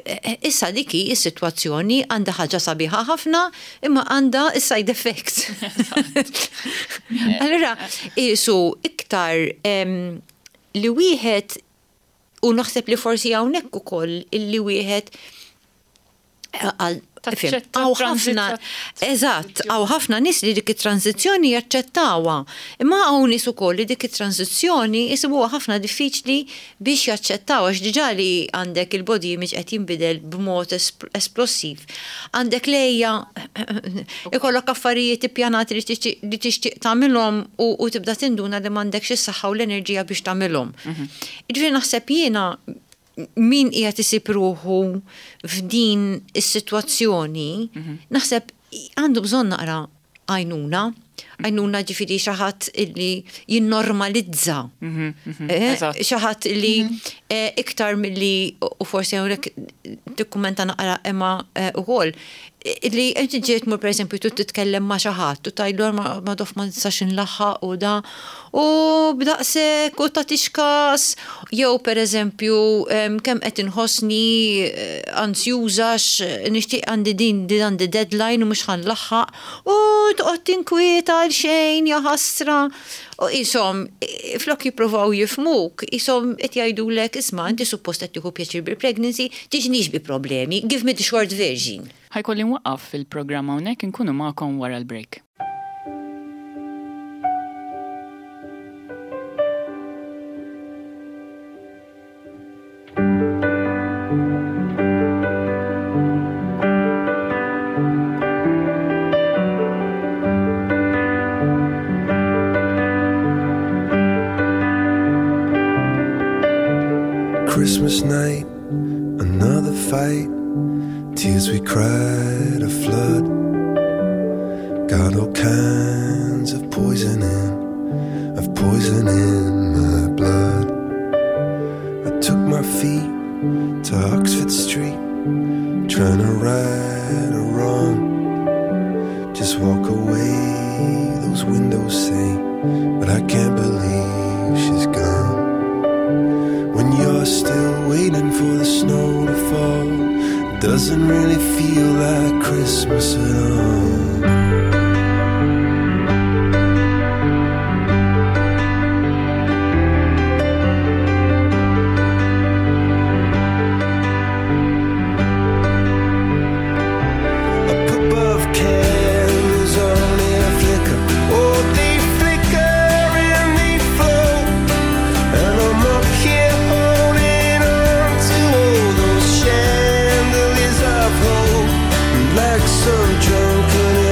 eh, issa dik hi is-sitwazzjoni, għandha ħaġa sabiħa ħafna imma għandha is-side effects. Allura isu iktar em, li wieħed u naħseb li forsi hawnhekk ukoll illi wieħed għal Taċċetta hawn ħafna, eżatt, hawn ħafna nies li dik it-tranzizzjoni jaċċettawha. Imma hawn nies ukoll li dik it-tranzizzjoni jisibuha ħafna diffiċli biex jaċċettaw, għax diġà li għandek il-body image qed jinbidel b'mod esplosiv. Għandek lejja ikollok affarijiet ippjanati li tixtieq tagħmilhom u tibda tinduna li m'għandekx is-saħħa u l-enerġija biex tagħmilhom. Mhm. Ġifieri naħseb jiena min qiegħed isib ruħu f'din is-sitwazzjoni, mhm. naħseb għandu bżonn naqra għajnuna, għajnuna, ġifieri xi ħadd illi jinnormalizza. Mhm, mhm, eh, xi ħadd illi eh, iktar milli, u forsi hawnhekk tikkumenta naqra Emma eh, ukoll, li inti ġiet mur, per eżempju, tu titkellem ma' xi ħadd u tgħidlu ma dof ma nistax inlaħħaq u da u b'daqshekk u tagħtix kas, jew per eżempju kemm qed inħossni ansjuża, nixtieq, għandi din din għandi deadline u mhux ħa nlaħħaq u toqgħod tinkwieta għal xejn, ja ħasra. U jisom, flok jippruvaw jifhmuk, jisom qed jgħidulek, "Isma', inti suppost qed tieħu pjaċir bil-pregnancy, tiġnix bi problemi, give me the short version." Ħa jkolli nwaqqaf fil-programm hawnhekk, inkunu magħkom wara l-break. Christmas night, another fight. Tears we cried a flood. Got all kinds of poison in, of poison in my blood. I took my feet to Oxford Street, trying to right a wrong. Just walk away, those windows say, but I can't believe she's gone. When you're still waiting for the snow to fall, it doesn't really feel like Christmas at all. Up above, candles only flicker. Oh, they flicker and they flow. And I'm up here holding on to all those chandeliers of hope. And like some drunken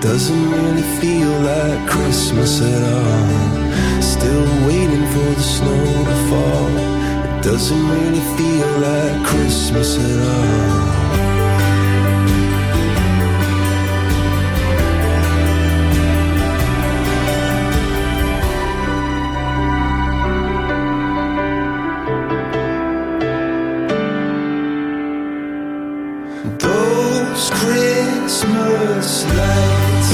Doesn't really feel like Christmas at all. Still waiting for the snow to fall. It doesn't really feel like Christmas at all. Those Christmas lights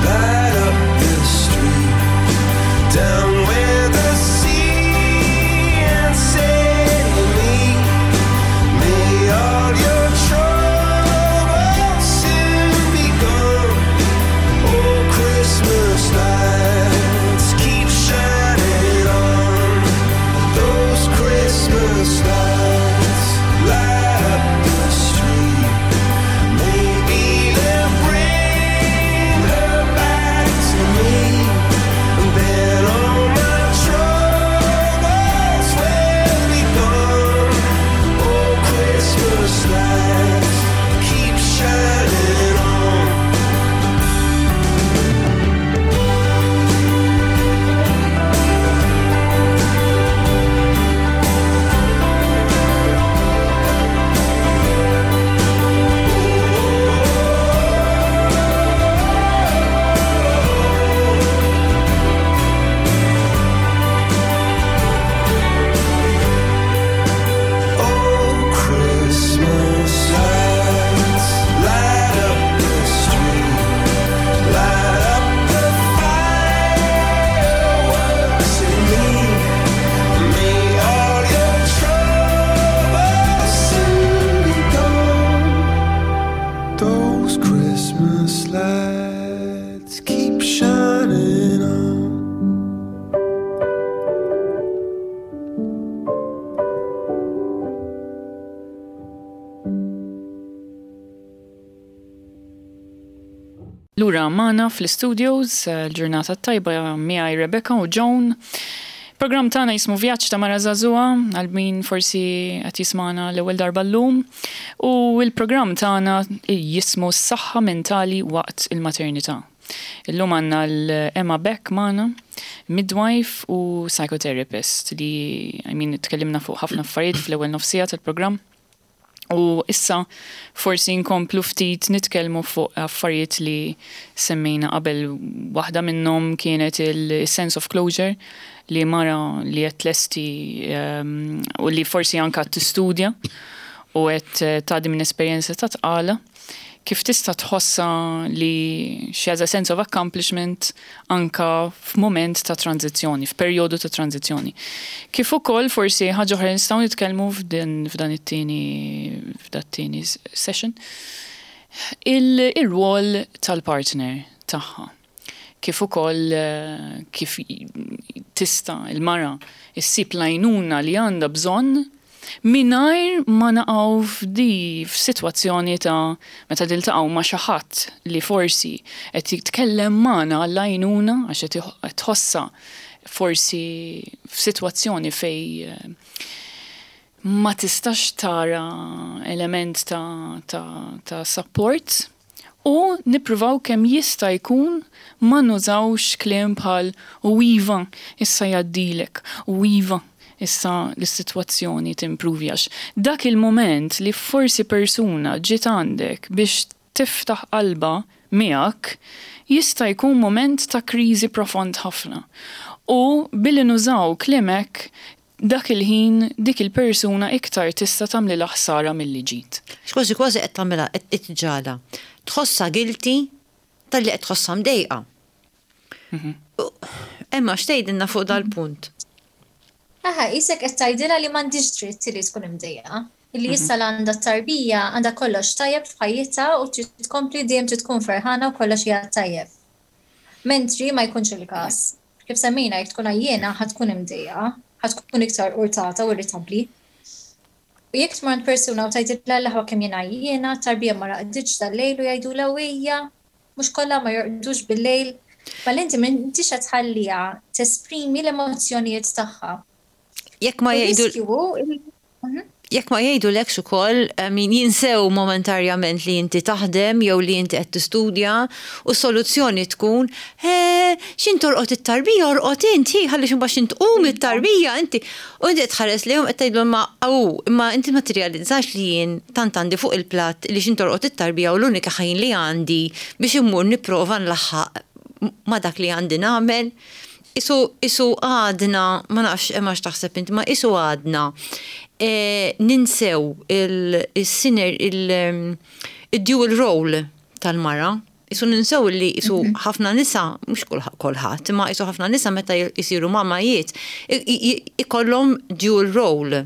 light up the street down where the sea and city meet. May all your troubles soon be gone. Oh, Christmas lights keep shining on. Those Christmas lights light up the street. Maybe they'll bring her back to me, and then all my troubles will be gone. Oh, Christmas lights keep shining on. Oh, Christmas lights light up the street, light up the fireworks in me. May all your troubles soon be gone. Those Christmas lights keep shining on. Lura magħna fl-studios, eh, l-ġurnata tajba miegħi Rebecca u Joan. Program tagħna jismu Vjaġġ ta' Mara Żagħżugħa, għal min forsi qed jismana l-ewwel darba llum. U l-programm tagħna jismu S-saħħa mentali waqt il-maternità. Illum għandna l-Emma Beck magħna, midwife u psychotherapist li, I mean, tkellimna fuq ħafna affarijiet fl-ewwel nofsija tal-programm. U issa forsi nkomplu ftit nitkellmu fuq affarijiet li semmejna qabel. Waħda minnhom kienet il-sense of closure li mara li qed tlesti um, u li forsi anka tistudja u qed tgħaddi minn esperjenza ta' tqala, kif tista' tħossa li she has a sense of accomplishment anka f'mument ta' tranzizzjoni, f'perjodu ta' tranzizzjoni. Kif ukoll forsi ħaġa oħra nistgħu nitkellmu f'din f'dan it-tieni f'dan it-tieni session, il-rwol tal-partner tagħha. Kif ukoll eh, kif tista' il-mara issib l-għajnuna li għandha bżonn mingħajr ma naqgħu f'di f'sitwazzjoni ta' meta tiltaqgħu ma' xi ħadd li forsi qed jitkellem magħna għall-għajnuna għax qed tħossa forsi f'sitwazzjoni fej eh, ma tistax tara element ta', ta, ta' support u nippruvaw kemm jista' jkun ma nużawx kliem bħal u iva issa jgħaddilek, u iva issa l-sitwazzjoni timpruvi, għax dak il-moment li forsi persuna ġiet għandek biex tiftaħ qalba miegħek jista' jkun moment ta' kriżi profond ħafna. U billi nużaw kliem hekk dak il-ħin dik il-persuna iktar tista' tagħmlilha ħsara milli ġid. Kważi kważi qed tagħmilha qed iġġagħalha. Tħossha guilty talli qed tħossha mdejqa. Emma, x'tgħidilna fuq dal-punt? Aha, qisek qed tgħidilha li m'għandix dritt li tkun imdejqa. Illi issa l għandha tarbija għandha kollox tajjeb f'ħajjitha u trid tkompli dejjem trid tkun ferħana u kollox hija tajjeb. Mentri ma jkunx il-każ. Kif semmejna, jekk tkun għajjiena ħa tkun imdejqa, ħa tkun iktar urtata u irritabbli. U jekk tmur għand persuna u tgħidilha l-aħwa kemm jien għajjiena, tarbija ma raqditx dal-lejl u jgħidulha ejja, mhux kollha ma jorqdux bil-lejl. Mal inti m'intix qed tħalliha tesprimi l-emozzjonijiet tagħha. Jekk ma U jgħidu riskju hu il- Mhm. Jekk ma jgħidulekx ukoll, min jinsew momentarjament li inti taħdem jew li inti qed tistudja u soluzzjoni tkun, x'ħin torqod it-tarbija, orqod inti, ħalli xi mbagħad tqum it-tarbija inti. U inti tħares lejhom qed tgħidlhom ma aw, imma inti ma tirrealizzax li jien tant għandi fuq il-platt li x'ħin torqod it-tarbija u l-unika ħin li għandi biex immur nipprova nlaħħaq ma dak li għandi nagħmel. Isu, isu għadna, ma nafx imma x'taħseb inti, ma isu għadna e, ninsew il-siner, il-dual role tal-mara. Isu ninsew li isu mhm. ħafna nisa, mhux kulħadd, imma isu ħafna nisa meta jisiru mamajiet, ikollhom dual role.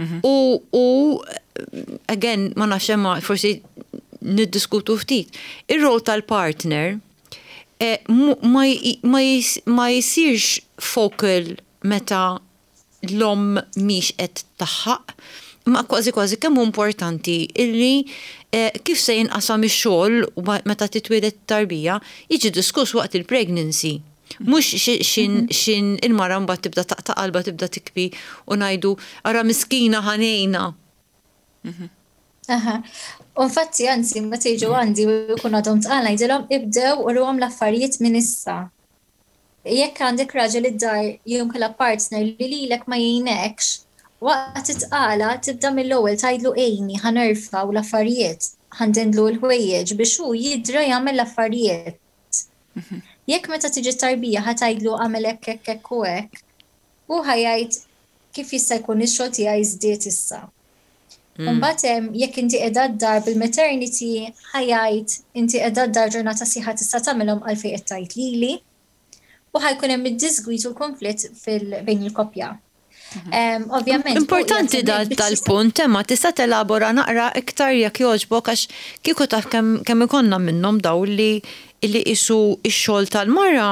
Mhm. U, u, again, ma nafx imma forsi niddiskutu ftit. Ir-role tal-partner Eh, ma jisirx focal meta l-om mhix qed tlaħħaq, ma kważi kważi kemm importanti illi eh, kif se jinqasam ix-xogħol meta titwieled tarbija jiġi diskuss waqt il-pregnancy. Mhux x'ħin il-mara mbagħad tibda taqta' qalba, tibda tibki u ngħidu ara miskina ħanejna. Mhm. Aha. U infatti, anzi, meta jiġu għandi u jkun għadhom tqal ngħidilhom ibdew uruhom l-affarijiet minn issa. Jekk għandek raġel id-dar jew kellha partner li lilek ma jgħinekx, waqt it-tqala tibda mill-ewwel tgħidlu għinni ħa nerfgħu l-affarijiet, ħa ndendlu l-ħwejjeġ biex hu jidra jagħmel l-affarijiet. Mhm. Jekk meta tiġi tarbija ħa tgħidlu għamel hekk hekk hekk u hekk, hu ħa jgħid kif jista' jkun ix-xogħol tiegħi żdied issa. Mm. Mbagħad hemm jekk inti qiegħda d-dar bil-maternity ħa jgħid inti qiegħda d-dar ġurnata sħiħa tista' tagħmilhom għalfejn qed tgħid lili. U ħa jkun hemm id-disgwit u l-konflitt bejn il-koppja. Mhm. Ovvjament. Importanti dal-punt, ma tista' telabora naqra iktar jekk jogħġbok għax kieku taf kemm ikollna minnhom daw li li isu ix-xogħol tal-mara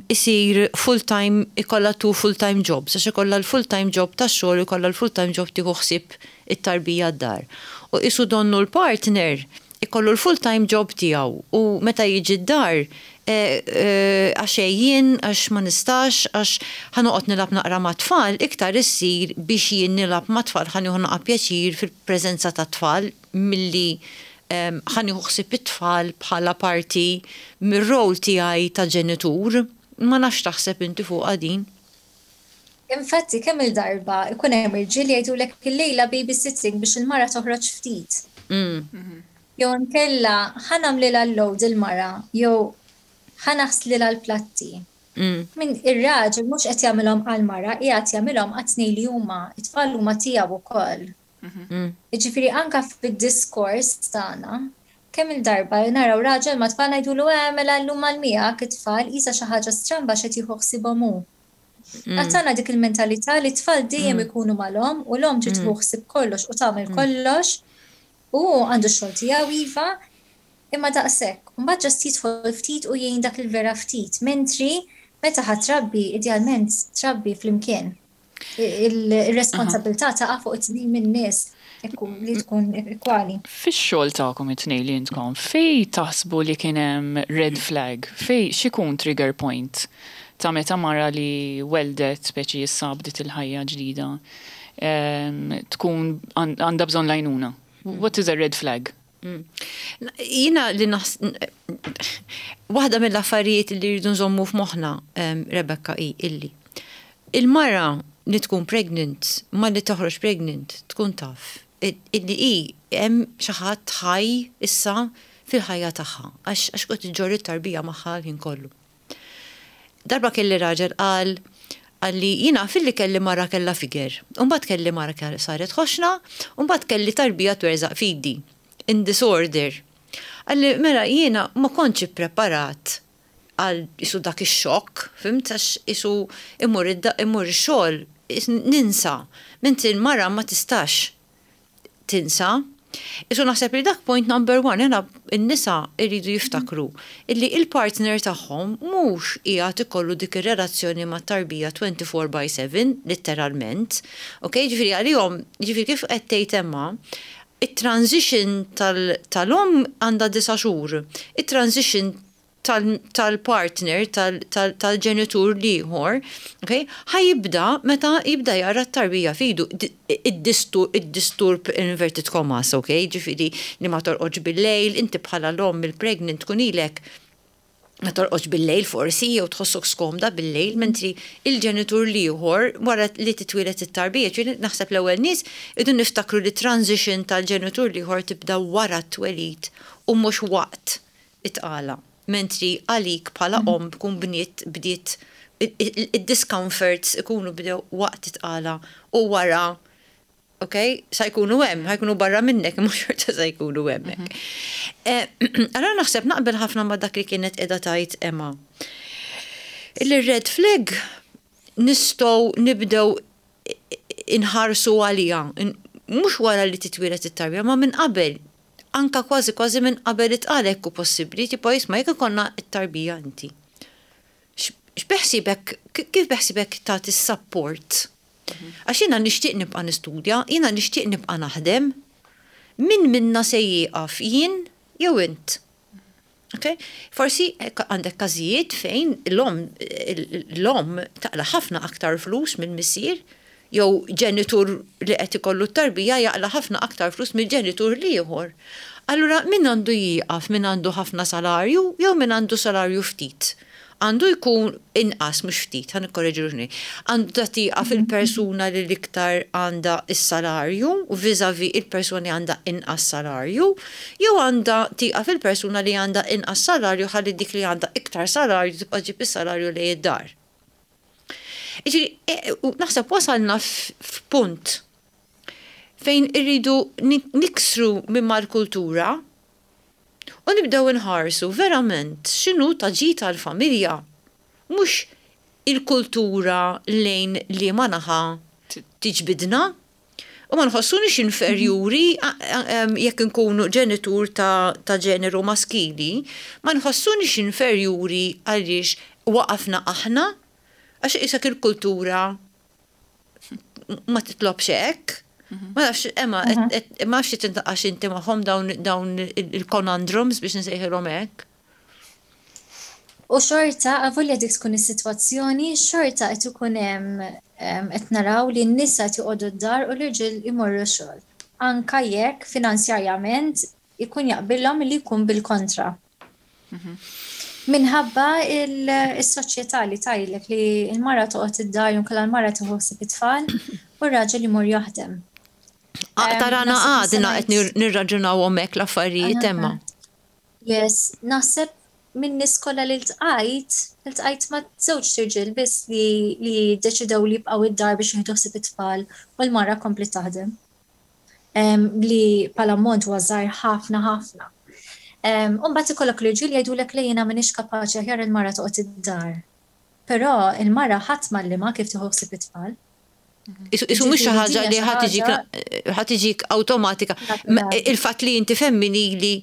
isir full-time, ikolla two full-time jobs, għax ikolla l-full-time job tax-xogħol, ikolla l-full-time job tieħu ħsieb it-tarbija d-dar. U isu donnu l-partner ikollu l-full-time job tiegħu u meta jiġi d-dar e, e, għax jien, għax ma nistax, għax ħa noqgħod nilgħab naqra ma' tfal, iktar issir biex jien nilgħab ma' tfal ħa nieħu naqa pjaċir fil-preżenza ta' tfal milli ħa nieħu ħsieb it-tfal bħala parti mir-rol tiegħi ta' ġenitur. Ma nafx taħseb inti fuq din. Infatti, kemm il-darba ikun hemm irġiel jgħidulek illejla babysitting biex il-mara toħroġ ftit. Mm. Jew nkella ħa nagħmlilha l-load il-mara, jew ħa naħslilha l-platti. Mm. Min ir-raġel mhux qed jagħmilhom għall-mara, qiegħed jagħmilhom għat-tnejn li huma, it-tfal huma tiegħu wkoll. Mm. Jiġifieri anka fid-diskors tagħna, kemm il-darba naraw raġel ma' tfal ngħidulu eh mela llum għal miegħek it-tfal qisha xi ħaġa stramba x'qed jieħu ħsiebhom hu. Mm. Għatana dik il-mentalità li t-tfal dejjem mm. ikunu mal-omm u l-omm trid tieħu ħsieb kollox u tagħmel kollox u għandu x-xogħol tiegħu iva, imma daqshekk. Mbagħad just jidħol ftit u jgħin dak il-vera ftit, mentri meta ħa trabbi, idealment trabbi flimkien. Il-responsabilità taqa' fuq it-tnejn min-nies li tkun ekwali. Fix-xogħol tagħkom it-tnejn li intkom, fej taħsbu li kien hemm red flag, fej x'ikun trigger point ta' meta mara li weldet speċi issa bdiet il-ħajja ġdida tkun għandha bżonn l-għajnuna? What is a red flag? Mm. Jiena li naħs waħda mill-affarijiet li rridu nżommu f'moħħna, Rebecca, i illi il-mara li tkun pregnant, ma li toħroġ pregnant, tkun taf illi i hemm xi ħadd ħaj issa fil-ħajja tagħha għax għax kont iġġorr it-tarbija magħha l-ħin kollu. Darba kelli raġel qal qalli jiena filli kelli mara kella figure, u mbagħad kelli mara saret ħoxna, u mbagħad kelli tarbija twerżaq f'idi, in disorder. Qalli mela jiena ma kontx ippreparat għal isu dak ix-xokk, fhimt għax isu imur imur ix-xogħol ninsa, mentri l-mara ma tistax tinsa. Isu naħseb li dak point number one, jena n-nisa irridu jiftakru illi il-partner tagħhom mhux qiegħed ikollu dik ir-relazzjoni ma' tarbija twenty-four by seven, letteralment. Ok, ġifieri għalihom, ġifieri kif qed tgħid Emma, it-transition tal-omm għandha disa' xhur, it-transition tal-partner, tal-ġenitur l-ieħor, ħa jibda meta jibda jara t-tarbija f'idu, id-disturb, inverted commas, ok, ġifieri li ma torqodx bil-lejl, inti bħala l-om il-pregnant tkun ilek ma torqodx bil-lejl forsi, jew tħossok skomda bil-lejl, mentri il-ġenitur l-ieħor wara li titwieled it-tarbija, ġifieri naħseb l-ewwel nies idu niftakru li transition tal-ġenitur l-ieħor tibda wara t-twelid u mhux waqt it-tqala. Mentri għalik bħala mm. om tkun bniet bdiet id-discomforts ikunu bdew waqt it-tqala u wara, ok, sa jkunu hemm, ħa jkunu barra minnek, mhux xorta sa jkunu hemmhekk. Mhm. Eh, allora naħseb naqbel ħafna ma' dak li kienet qiegħda tgħid Emma. Il-red flag nistgħu nibdew inħarsu għalija, mhux wara li titwieled it-tarbija, ma minn qabel, anka kważi kważi minn qabel it-tqala jekk possibbli, tipo jisma' jekk ikollna it-tarbija inti. X'beħsibek, kif beħsibek tagħti support? Għax jiena nixtieq nibqa' nistudja, jiena nixtieq nibqa' naħdem. Min minna se jieqaf, jien jew int? Okay? Forsi għandek każijiet fejn l-om l-om taqla ħafna aktar flus minn missier, jew ġenitur li qed ikollu t-tarbija jaqla ħafna aktar flus mill ġenitur l-ieħor. Allura min għandu jieqaf, min għandu ħafna salarju jew min għandu salarju ftit? Għandu jkun inqas, mhux ftit, ħa nikkoreġi ruħni. Għandu tieqaf il-persuna li l-iktar għandha is-salarju vis-a-vis il-persuna li għandha inqas salarju, jew għandha tieqaf il-persuna li għandha inqas salarju ħalli dik li għandha iktar salarju tibqa' ġib is-salarju li id-dar? Ġifieri, e, naħseb wasalna f'punt fejn irridu niksru minn mal-kultura u nibdew inħarsu verament x'inhu ta' ġid tal-familja. Mhux il-kultura lejn li ma naħa tiġbidna. U ma nħossunix inferjuri jekk nkunu ġenitur ta', ta ġeneru maskili, ma nħossunix inferjuri għaliex waqafna aħna, għax isak il-kultura ma titlobx hekk. Ma nafx, Emma, ma nafx tintaqax inti magħhom dawn il-conundrums biex nsejħilhom hekk. U xorta, avolja dik tkun is-sitwazzjoni, xorta qed ikun hemm qed naraw li n-nisa qed joqogħdu d-dar u l-irġiel imorru xogħol. Anka jekk finanzjarjament ikun jaqbillhom li jkun bil-kontra. Minħabba il-soċjetà li tgħidlek li l-mara toqgħod id-dar jew l-mara tieħu ħsieb it-tfal u r-raġel imur jaħdem. Aktar għana għadna qed nirraġunaw hekk l-affarijiet, Emma. Yes, naħseb minn nies kollha li ltqajt, ltqajt ma' żewġ irġiel biss li li deċidew li jibqgħu id-dar biex jieħdu ħsieb it-tfal u l-mara kompli taħdem. Li bħala ammont huwa żgħir ħafna ħafna. U mbagħad ikollok l-irġiel jgħidulek li jiena m'iniex kapaċi, aħjar il-mara toqgħod id-dar. Però il-mara ħadd m'għallimha kif tieħu ħsieb it-tfal. Isu mhux xi ħaġa li ħa tiġik awtomatika. Il-fatt li inti femminili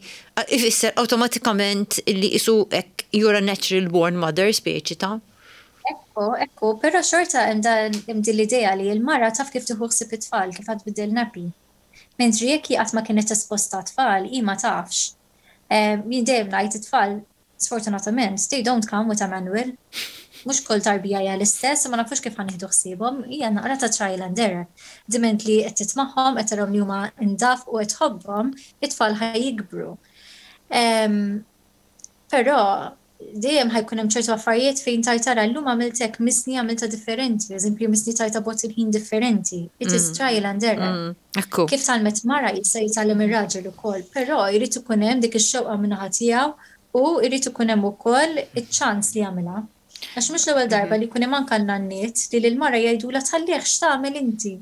ifisser awtomatikament li isu hekk you're a natural born mother, speċi ta' Ekku, ekku, però xorta hemm din l-idea li l-mara taf kif tieħu ħsieb it-tfal, kif ħa tbiddel nappy. Mentri jekk hi qatt ma kienet esposta tfal, hi ma tafx. Jien dejjem ngħid, it-tfal, sfortunatament, they don't come with a manual. Mhux kull tarbija hija l-istess, ma nafux kif ħa nieħdu ħsiebhom, hija naqra ta' trial and error. Diment li qed titmagħhom, qed tarahom li huma indaf u qed tħobbhom, it-tfal ħa jikbru. Però dejjem ħa jkun hemm ċertu affarijiet fejn tajt tara llum għamilt hekk, missni għamilta differenti, eżempju missni tajta bot il-ħin differenti. It is mm. trial and error. Mm, kif tgħallmet mara jista' jitgħallem ir-raġel ukoll, però jrid ikun hemm dik ix-xewqa min-naħa tiegħu u jrid ikun hemm ukoll iċ-ċans li jagħmilha. Għax mhux l-ewwel darba li jkun hemm anke n-nanniet li lill-mara jgħidulha tħallih x'tagħmel inti.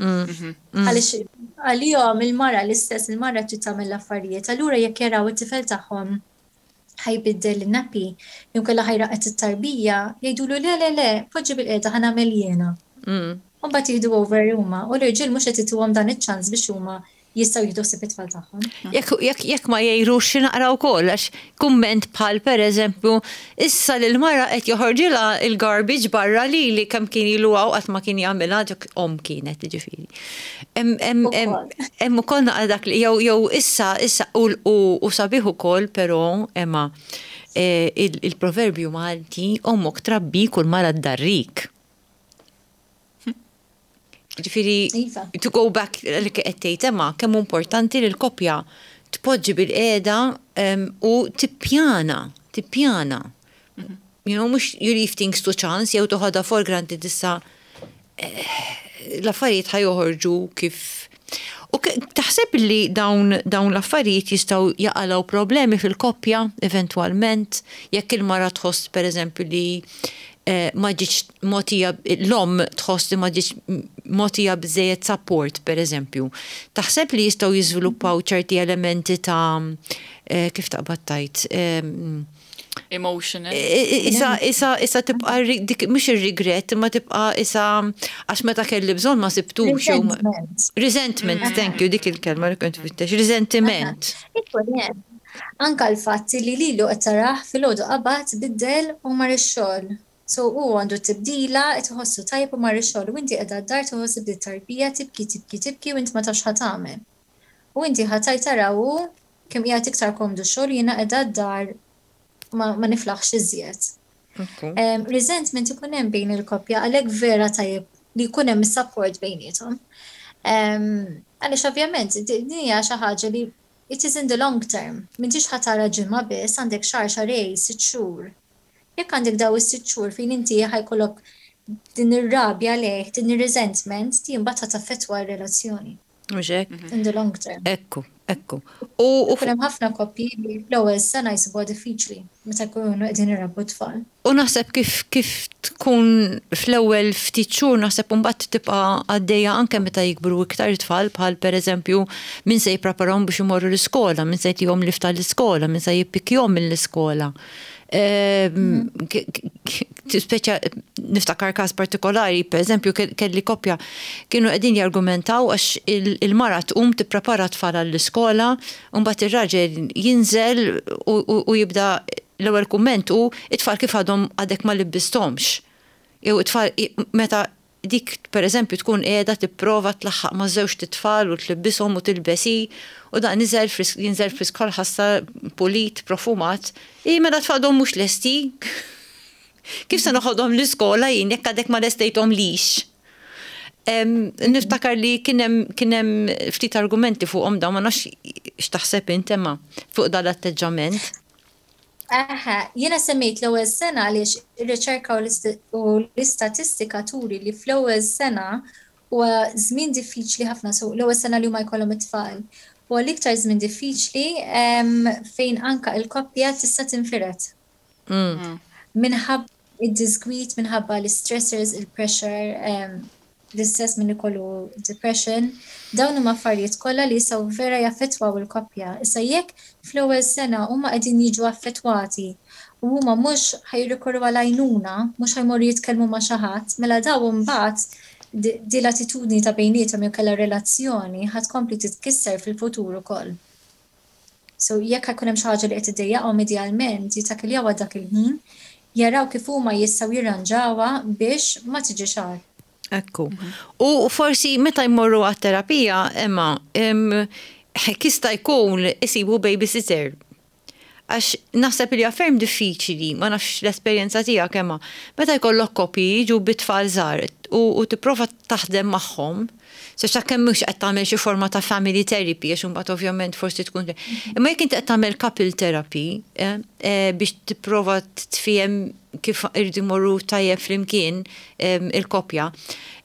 Mm-hmm. Għaliex għalihom il-mara l-istess, il-mara trid tagħmel l-affarijiet, allura jekk jaraw it-tifel tagħhom ħa jbiddel il-nappy, jew inkella ħa jraqqad it-tarbija, jgħidulu le, le, le, poġġi bil-qiegħda, ħa nagħmel jiena. Mm. U mbagħad jieħdu over huma u l-irġiel mhux qed ituhom dan iċ-ċans biex huma jistgħu jieħdu ħsieb it-tfal tagħhom. Jekk jekk ma jgħirux xi naqra wkoll, għax kumment bħal pereżempju issa lil mara qed joħorġilha il-garbage barra li li kemm kien ilu hawn qatt ma kien jagħmilha, dik om kienet ġifieri. Hemm ukoll naqra dak li jew jew issa issa u sabiħ ukoll però, Emma, eh, il-proverbju Malti, "Ommok trabbik u l-mara ddarrik." Ġifieri, Iva. to go back li qed tgħid Emma, kemm importanti li l-koppja tpoġġi bilqiegħda u tippjana, tippjana. You know, mhux you leave things to chance, jew toħodha for granted issa eh, l-affarijiet ħa joħorġu kif. U taħseb li dawn, dawn l-affarijiet jistgħu jaqilgħu problemi fil-koppja eventualment, jekk il-mara tħoss, per eżempju, li eh, ma ġietx mogħtija, l-omm tħoss li ma ġietx mogħtija biżżejjed support, per eżempju? Taħseb li jistgħu jiżviluppaw ċerti elementi ta' eh, kif taqbad tgħid? Emotional. Issa, issa, issa tibqa dik, mhux ir-regret, imma tibqa issa għax meta kelli bżonn ma sibtux. Resentment. Resentment, thank you, dik il-kelma li kont infittex. Resentiment. Ikun hemm. Anka l-fatt li lilu qed tarah filgħodu qabad, biddel u mar ix-xogħol. So hu għandu tibdila, qed iħossu tajjeb u mar ix-xogħol u inti qiegħda d-dar tħossi bdiet tarbija tibki, tibki, tibki u inti ma tafx ħa tagħmel. U inti ħa tgħid tara hu kemm qiegħed iktar komdu xogħol, jiena qiegħda d-dar ma, ma niflaħx iżjed. Um, resentment ikun hemm bejn il-koppja, għalhekk vera tajjeb li jkun hemm support bejniethom. Um, għaliex ovvjament din hija xi ħaġa li it is in the long term. M'intix ħa tara ġimgħa biss, għandek xahar, xahrejn, sitt xhur. Jekk għandek daw is-sitt xhur fejn inti ħa jkollok din ir-rabja lejh, din ir-resentment, din mbagħad taffettwa r-relazzjoni. Mhux hekk? In the long term. Ekku, ekku. U u Ikun hemm ħafna koppji li fl-ewwel sena jsibuha diffiċli meta jkunu qegħdin irabbu tfal. U naħseb kif kif tkun fl-ewwel ftit xhur, naħseb mbagħad tibqa' għaddejja anke meta jikbru iktar tfal, bħal pereżempju min se jippreparahom biex imorru l-iskola, min se jtihom lift l-iskola, min se jippikkjahom mill-iskola. Ehm, Speċa niftakar każ partikolari, per eżempju, kelli koppja kienu qegħdin jargumentaw għax il-mara tqum tipprepara tfal għall-iskola, u mbagħad ir-raġel jinżel u jibda l-ewwel kumment u "It-tfal kif għadhom għadek ma libbisthomx?" Jew it-tfal, meta dik, per eżempju, tkun qiegħda tipprova tlaħħaq ma' żewġt itfal u tlibbishom u tilbes hi, u dan niżel frisk, jinżel frisk ħassa pulit, profumat. "I mela tfal għadhom mhux lesti. Kif se noħodhom l-iskola jien jekk għadek ma lestejthom lix?" Niftakar li kien hemm ftit argumenti fuqhom dawn, ma nafx x'taħseb int, Emma, fuq dan l-atteġġament. Aha, jiena semmejt l-ewwel sena għaliex ir-riċerka u l-istatistika turi li fl-ewwel sena huwa żmien diffiċli ħafna, so l-ewwel sena li huma jkollhom it-tfal. Huwa l-iktar żmien diffiċli fejn anka il-koppja tista' tinfired. Mm. Minħabba id-disgwit, minħabba l-stressors, il-pressure, l-istess minn ikollu depression, dawn huma affarijiet kollha li jistgħu vera jaffettwaw il-koppja. Issa jekk fl-ewwel sena huma qegħdin jiġu affettwati u huma mhux ħa jirrikorru għal għajnuna, mhux ħa jmorru jitkellmu ma' xi ħadd, mela daw imbagħad di l-attitudni ta' bejniethom jew kellha relazzjoni ħa tkompli titkisser fil-futur ukoll. So jekk ħa jkun hemm xi ħaġa li qed iddejjaqhom, idealment jittakkiljawha dak il-ħin, jaraw kif huma jistgħu jirranġawha biex ma tiġix agħar. Ekku. U forsi meta jmorru għat-terapija, Emma, jista' jkun isibu babysitter. Għax naħseb li ferm diffiċli, ma nafx l-esperjenza tiegħek, Emma, meta jkollok koppji jiġu bit-tfal żgħar u, u tipprova taħdem magħhom, se kemm mhux qed tagħmel xi forma ta' family therapy, għax imbagħad ovvjament forsi tkun. Imma jekk inti qed tagħmel couple therapy eh, eh, biex tipprova tfiehem kif irridu jmorru tajjeb flimkien il-koppja.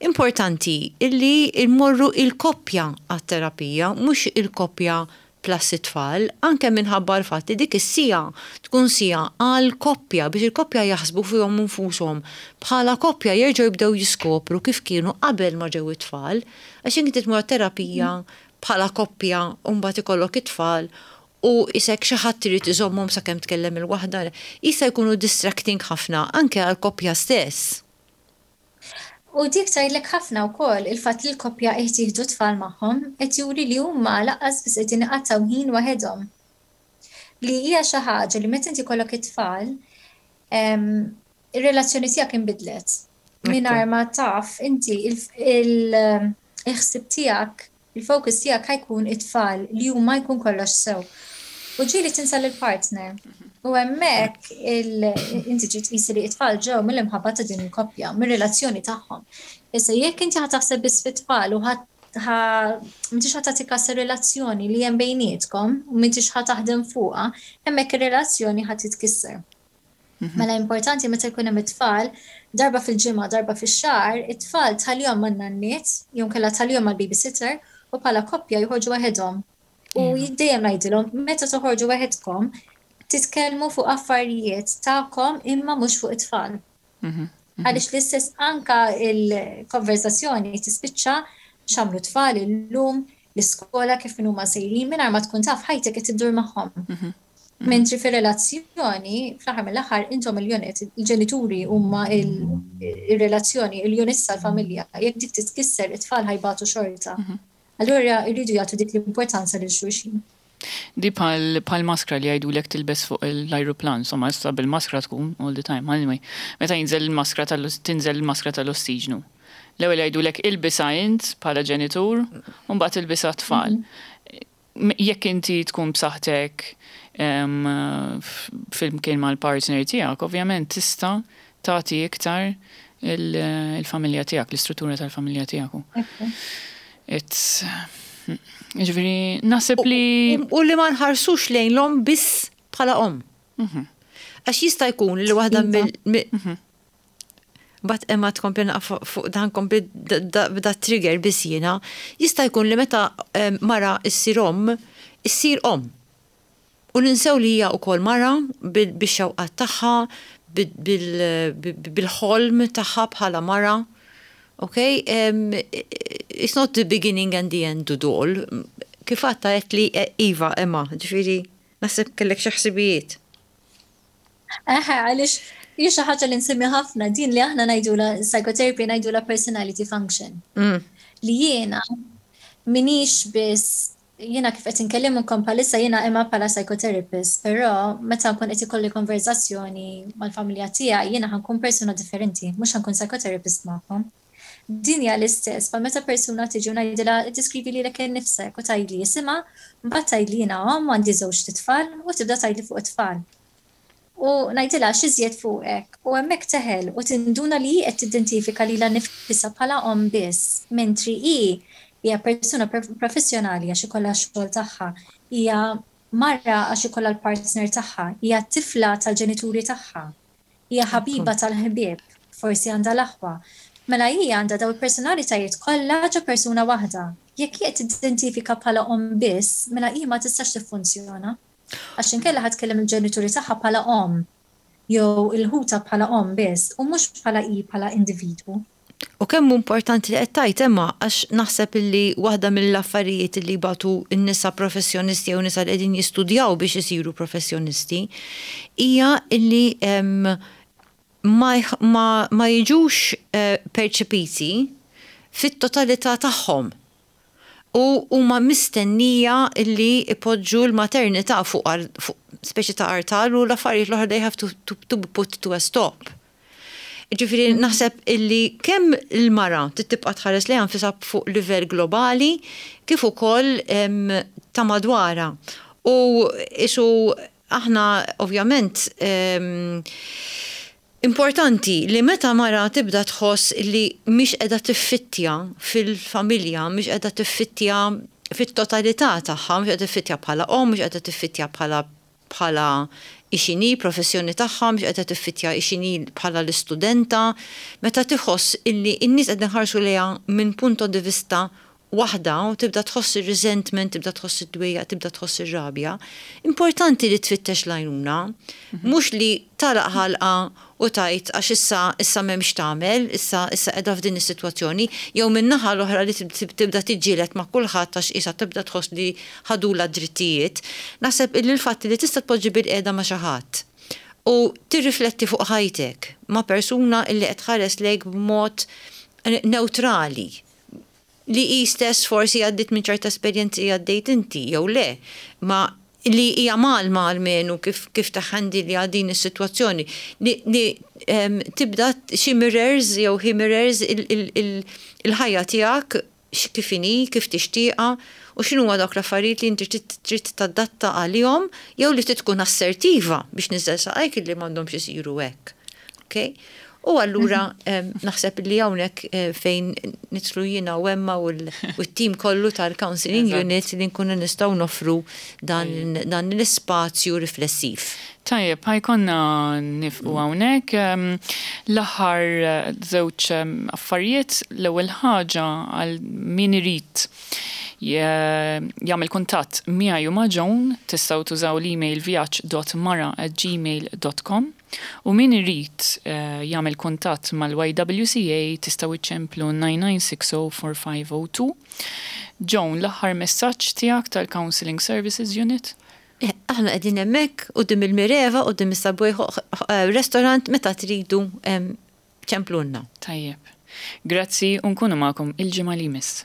Importanti illi jmorru il-koppja għat-terapija, mhux il-koppja plus it-tfal, anke minħabba l-fatt li dik is-siegħa tkun siegħa għal koppja biex il-koppja jaħsbu fihom infushom bħala koppja, jerġgħu jibdew jiskopru kif kienu qabel ma ġew it-tfal, għax inti tmur terapija bħala koppja u mbagħad ikollok it-tfal u isek xi ħadd irid iżommhom sakemm tkellem il-waħda, jista' jkunu distracting ħafna anke għal koppja stess. U dik tgħidlek ħafna wkoll il-fatt li l-koppja qed jieħdu tfal magħhom qed juri li huma lanqas biss qegħdin iqattgħu ħin waħedhom. Li hija xi ħaġa li meta inti jkollok it-tfal, ir-relazzjoni tiegħek inbidlet. Mingħajr ma taf inti il-ħsieb tiegħek, il-focus tiegħek ħa jkun it-tfal li huma jkun kollox sew. U ġieli tinsa lill-partner. U hemmhekk inti trid tqisi li t-tfal ġew mill-imħabba ta' din il-koppja, mir-relazzjoni tagħhom. Issa jekk inti ħa taħseb biss fit-tfal u m'intix ħa tagħti kas ir-relazzjoni li hemm bejnietkom u m'intix ħa taħdem fuqha, hemmhekk ir-relazzjoni ħa titkisser. Mhm. Mela importanti meta jkun hemm it-tfal, darba fil-ġimgħa, darba fix-xahar, it-tfal tħallihom man-nanniet, jew inkella tħallihom mal-babysitter u bħala koppja joħorġu waħedhom. U dejjem ngħidilhom, meta toħorġu waħedkom, titkellmu fuq affarijiet tagħkom imma mhux fuq it-tfal. Mhm, mhm. Għaliex l-istess anka il-konverzazzjoni tispiċċa x'għamlu tfal illum, l-iskola kif huma sejrin mingħajr ma tkun taf ħajtek qed iddur magħhom. Mhm, Mentri fir-relazzjoni, fl-aħħar mill-aħħar intom il-unit, il-ġenituri huma il-relazzjoni, il-unit tal-familja. Jekk dik titkisser it-tfal ħa jbatu xorta. Allura jridu jagħtu dik l-importanza lil xulxin. Di bħal maskra li jgħidulek tilbes fuq l-ajruplan, insomma, issa bil-maskra tkun all the time. Anyway, meta jinżel il-maskra tinżel il-maskra tal-ossiġnu. L-ewwel jgħidulek ilbisha int bħala ġenitur, u mbagħad ilbisha tfal. Mhm. Jekk inti tkun b'saħħtek flimkien mal-partner tiegħek, ovvjament tista' tagħti iktar il-familja tiegħek, l-istruttura tal-familja tiegħek. It's Ġifieri, naħseb li. U li ma nħarsux lejn l-omm biss bħala omm. Mhm. Għax jista' jkun li waħda mill. Mhm. But imma tkompli fuq dan kompli b'da trigger biss jiena, jista' jkun li meta mara issir omm, issir omm. U ninsew li hija wkoll mara bix-xewqat tagħha, bil-ħolm tagħha bħala mara. Okay? Um, it's not the beginning and the end to all. Kif għatta għet li eh, Iva, Emma, ġifieri, naħseb kellek xi ħsibijiet. Eħe, għaliex hi xi ħaġa li nsemmi ħafna din li aħna ngħidula psychotherapy ngħidula personality function. Mm. Li jiena m'iniex biss jiena kif qed inkellimkom bħalissa jiena imma bħala psychotherapist, però meta nkun qed ikolli konverzazzjoni mal-familja tiegħi jiena ħa nkun persuna differenti, mhux ħa nkun psychotherapist magħkom. Din hija l-istess, pa meta persuna tiġi u ngħidilha iddeskrivi lilek innifsek u tgħidli isimha, mbagħad tgħidli jiena omm għandi żewġ tfal u tibda tgħidli fuq it-tfal. U ngħidilha x'iżjed fuqek u hemmhekk teħel u tinduna li hi qed tidentifika lilha nifisha bħala omm biss, mentri hi hija persuna professjonali għax ikollha x-xogħol tagħha, hija mara għax ikollha l-partner tagħha, hija tifla tal-ġenituri tagħha, hija ħabiba tal-ħbieb, forsi għandha l-aħwa. Mela hija għandha daw il-personalitajiet kollha ġo persuna waħda. Jekk hi qed tidentifika bħala omm biss, mela hi ma tistax tiffunzjona. Għax inkella ħa tkellem il-ġenituri tagħha bħala omm jew il-ħuta bħala omm biss u mhux bħala hi bħala individwu. U kemm importanti li qed tgħid Emma għax naħseb illi waħda mill-affarijiet li batu n-nisa professjonisti jew nisa li qegħdin jistudjaw biex isiru professjonisti hija illi ma, ma, ma jiġux eh, perċepiti fit-totalità tagħhom. U huma mistennija illi ipoġġu l-maternità fuq, fuq speċi ta' artal u l-affarijiet l-oħra they have to, to, to be put to a stop. Ġifieri naħseb illi kemm il-mara tibqa' tħares lejha nfisha fuq livell globali kif ukoll ta' madwara. U isu aħna ovvjament importanti li meta mara tibda tħoss li mhix qiegħda tiffittja fil-familja, mhix qiegħda tiffittja fit-totalità tagħha, mhux qiegħda tiffittja bħala omm, mhux qiegħda tiffittja bħala bħala x'inhi professjoni tagħha, mhux qiegħda tiffittja x'inhi bħala l-istudenta, meta tħoss illi n-nies qegħdin iħarsu lejha minn punto di vista waħda u tibda tħoss ir-resentment, tibda tħoss id-dwejja, tibda tħoss ir-rabja, importanti li tfittex l-għajnuna, mhux li tagħlaq ħalqha u tgħid għax issa issa m'hemmx tagħmel, issa issa qiegħda f'din is-sitwazzjoni, jew min-naħa l-oħra li tibda tiġġieled ma' kulħadd għax issa tibda tħoss li ħadula drittijiet. Naħseb illi l-fatt li tista' tpoġġi bilqiegħda ma' xi ħadd u tirrifletti fuq ħajtek ma' persuna illi qed tħares lejk b'mod neutrali li hi stess forsi għaddit minn ċerta esperjenzi għaddejt inti, jew le, ma li hija malma almenu kif, kif taħħandi li għadin is-sitwazzjoni li, li um, tibda xi mirrors jew hi mirrors il-ħajja tiegħek kif inhi, kif tixtieqha U x'inhu dawk l-affarijiet li inti trid tadatta għalihom jew li trid tkun assertiva biex niżel saqajk li m'għandhomx isiru hekk. Okay? U allura naħseb li hawnhekk eh, fejn nidħlu jiena u Emma u t-tim kollu tal-Counseling Unit li nkunu nistgħu noffru dan l-ispazju riflessiv. Tajjeb, ħa jkollna nieqfu hawnhekk. L-aħħar eh, żewġ affarijiet, l-ewwel ħaġa għal min irid jagħmel kuntatt miegħi u ma' Joan, tistgħu tużaw l-email vjaġġ dot mara at gmail dot com u min irid eh, jagħmel kuntatt mal-Y W C A tistgħu iċċemplu nine nine six zero four five zero two. Joan, l-aħħar messaġġ tiegħek tal-Counseling Services Unit? Eh, aħna qegħdin hemmhekk quddiem il-Mireva, quddiem is-Subway eh, restaurant, meta tridu ċemplunna. Tajjeb. Grazzi u nkunu magħkom il-ġimgħa li jmiss.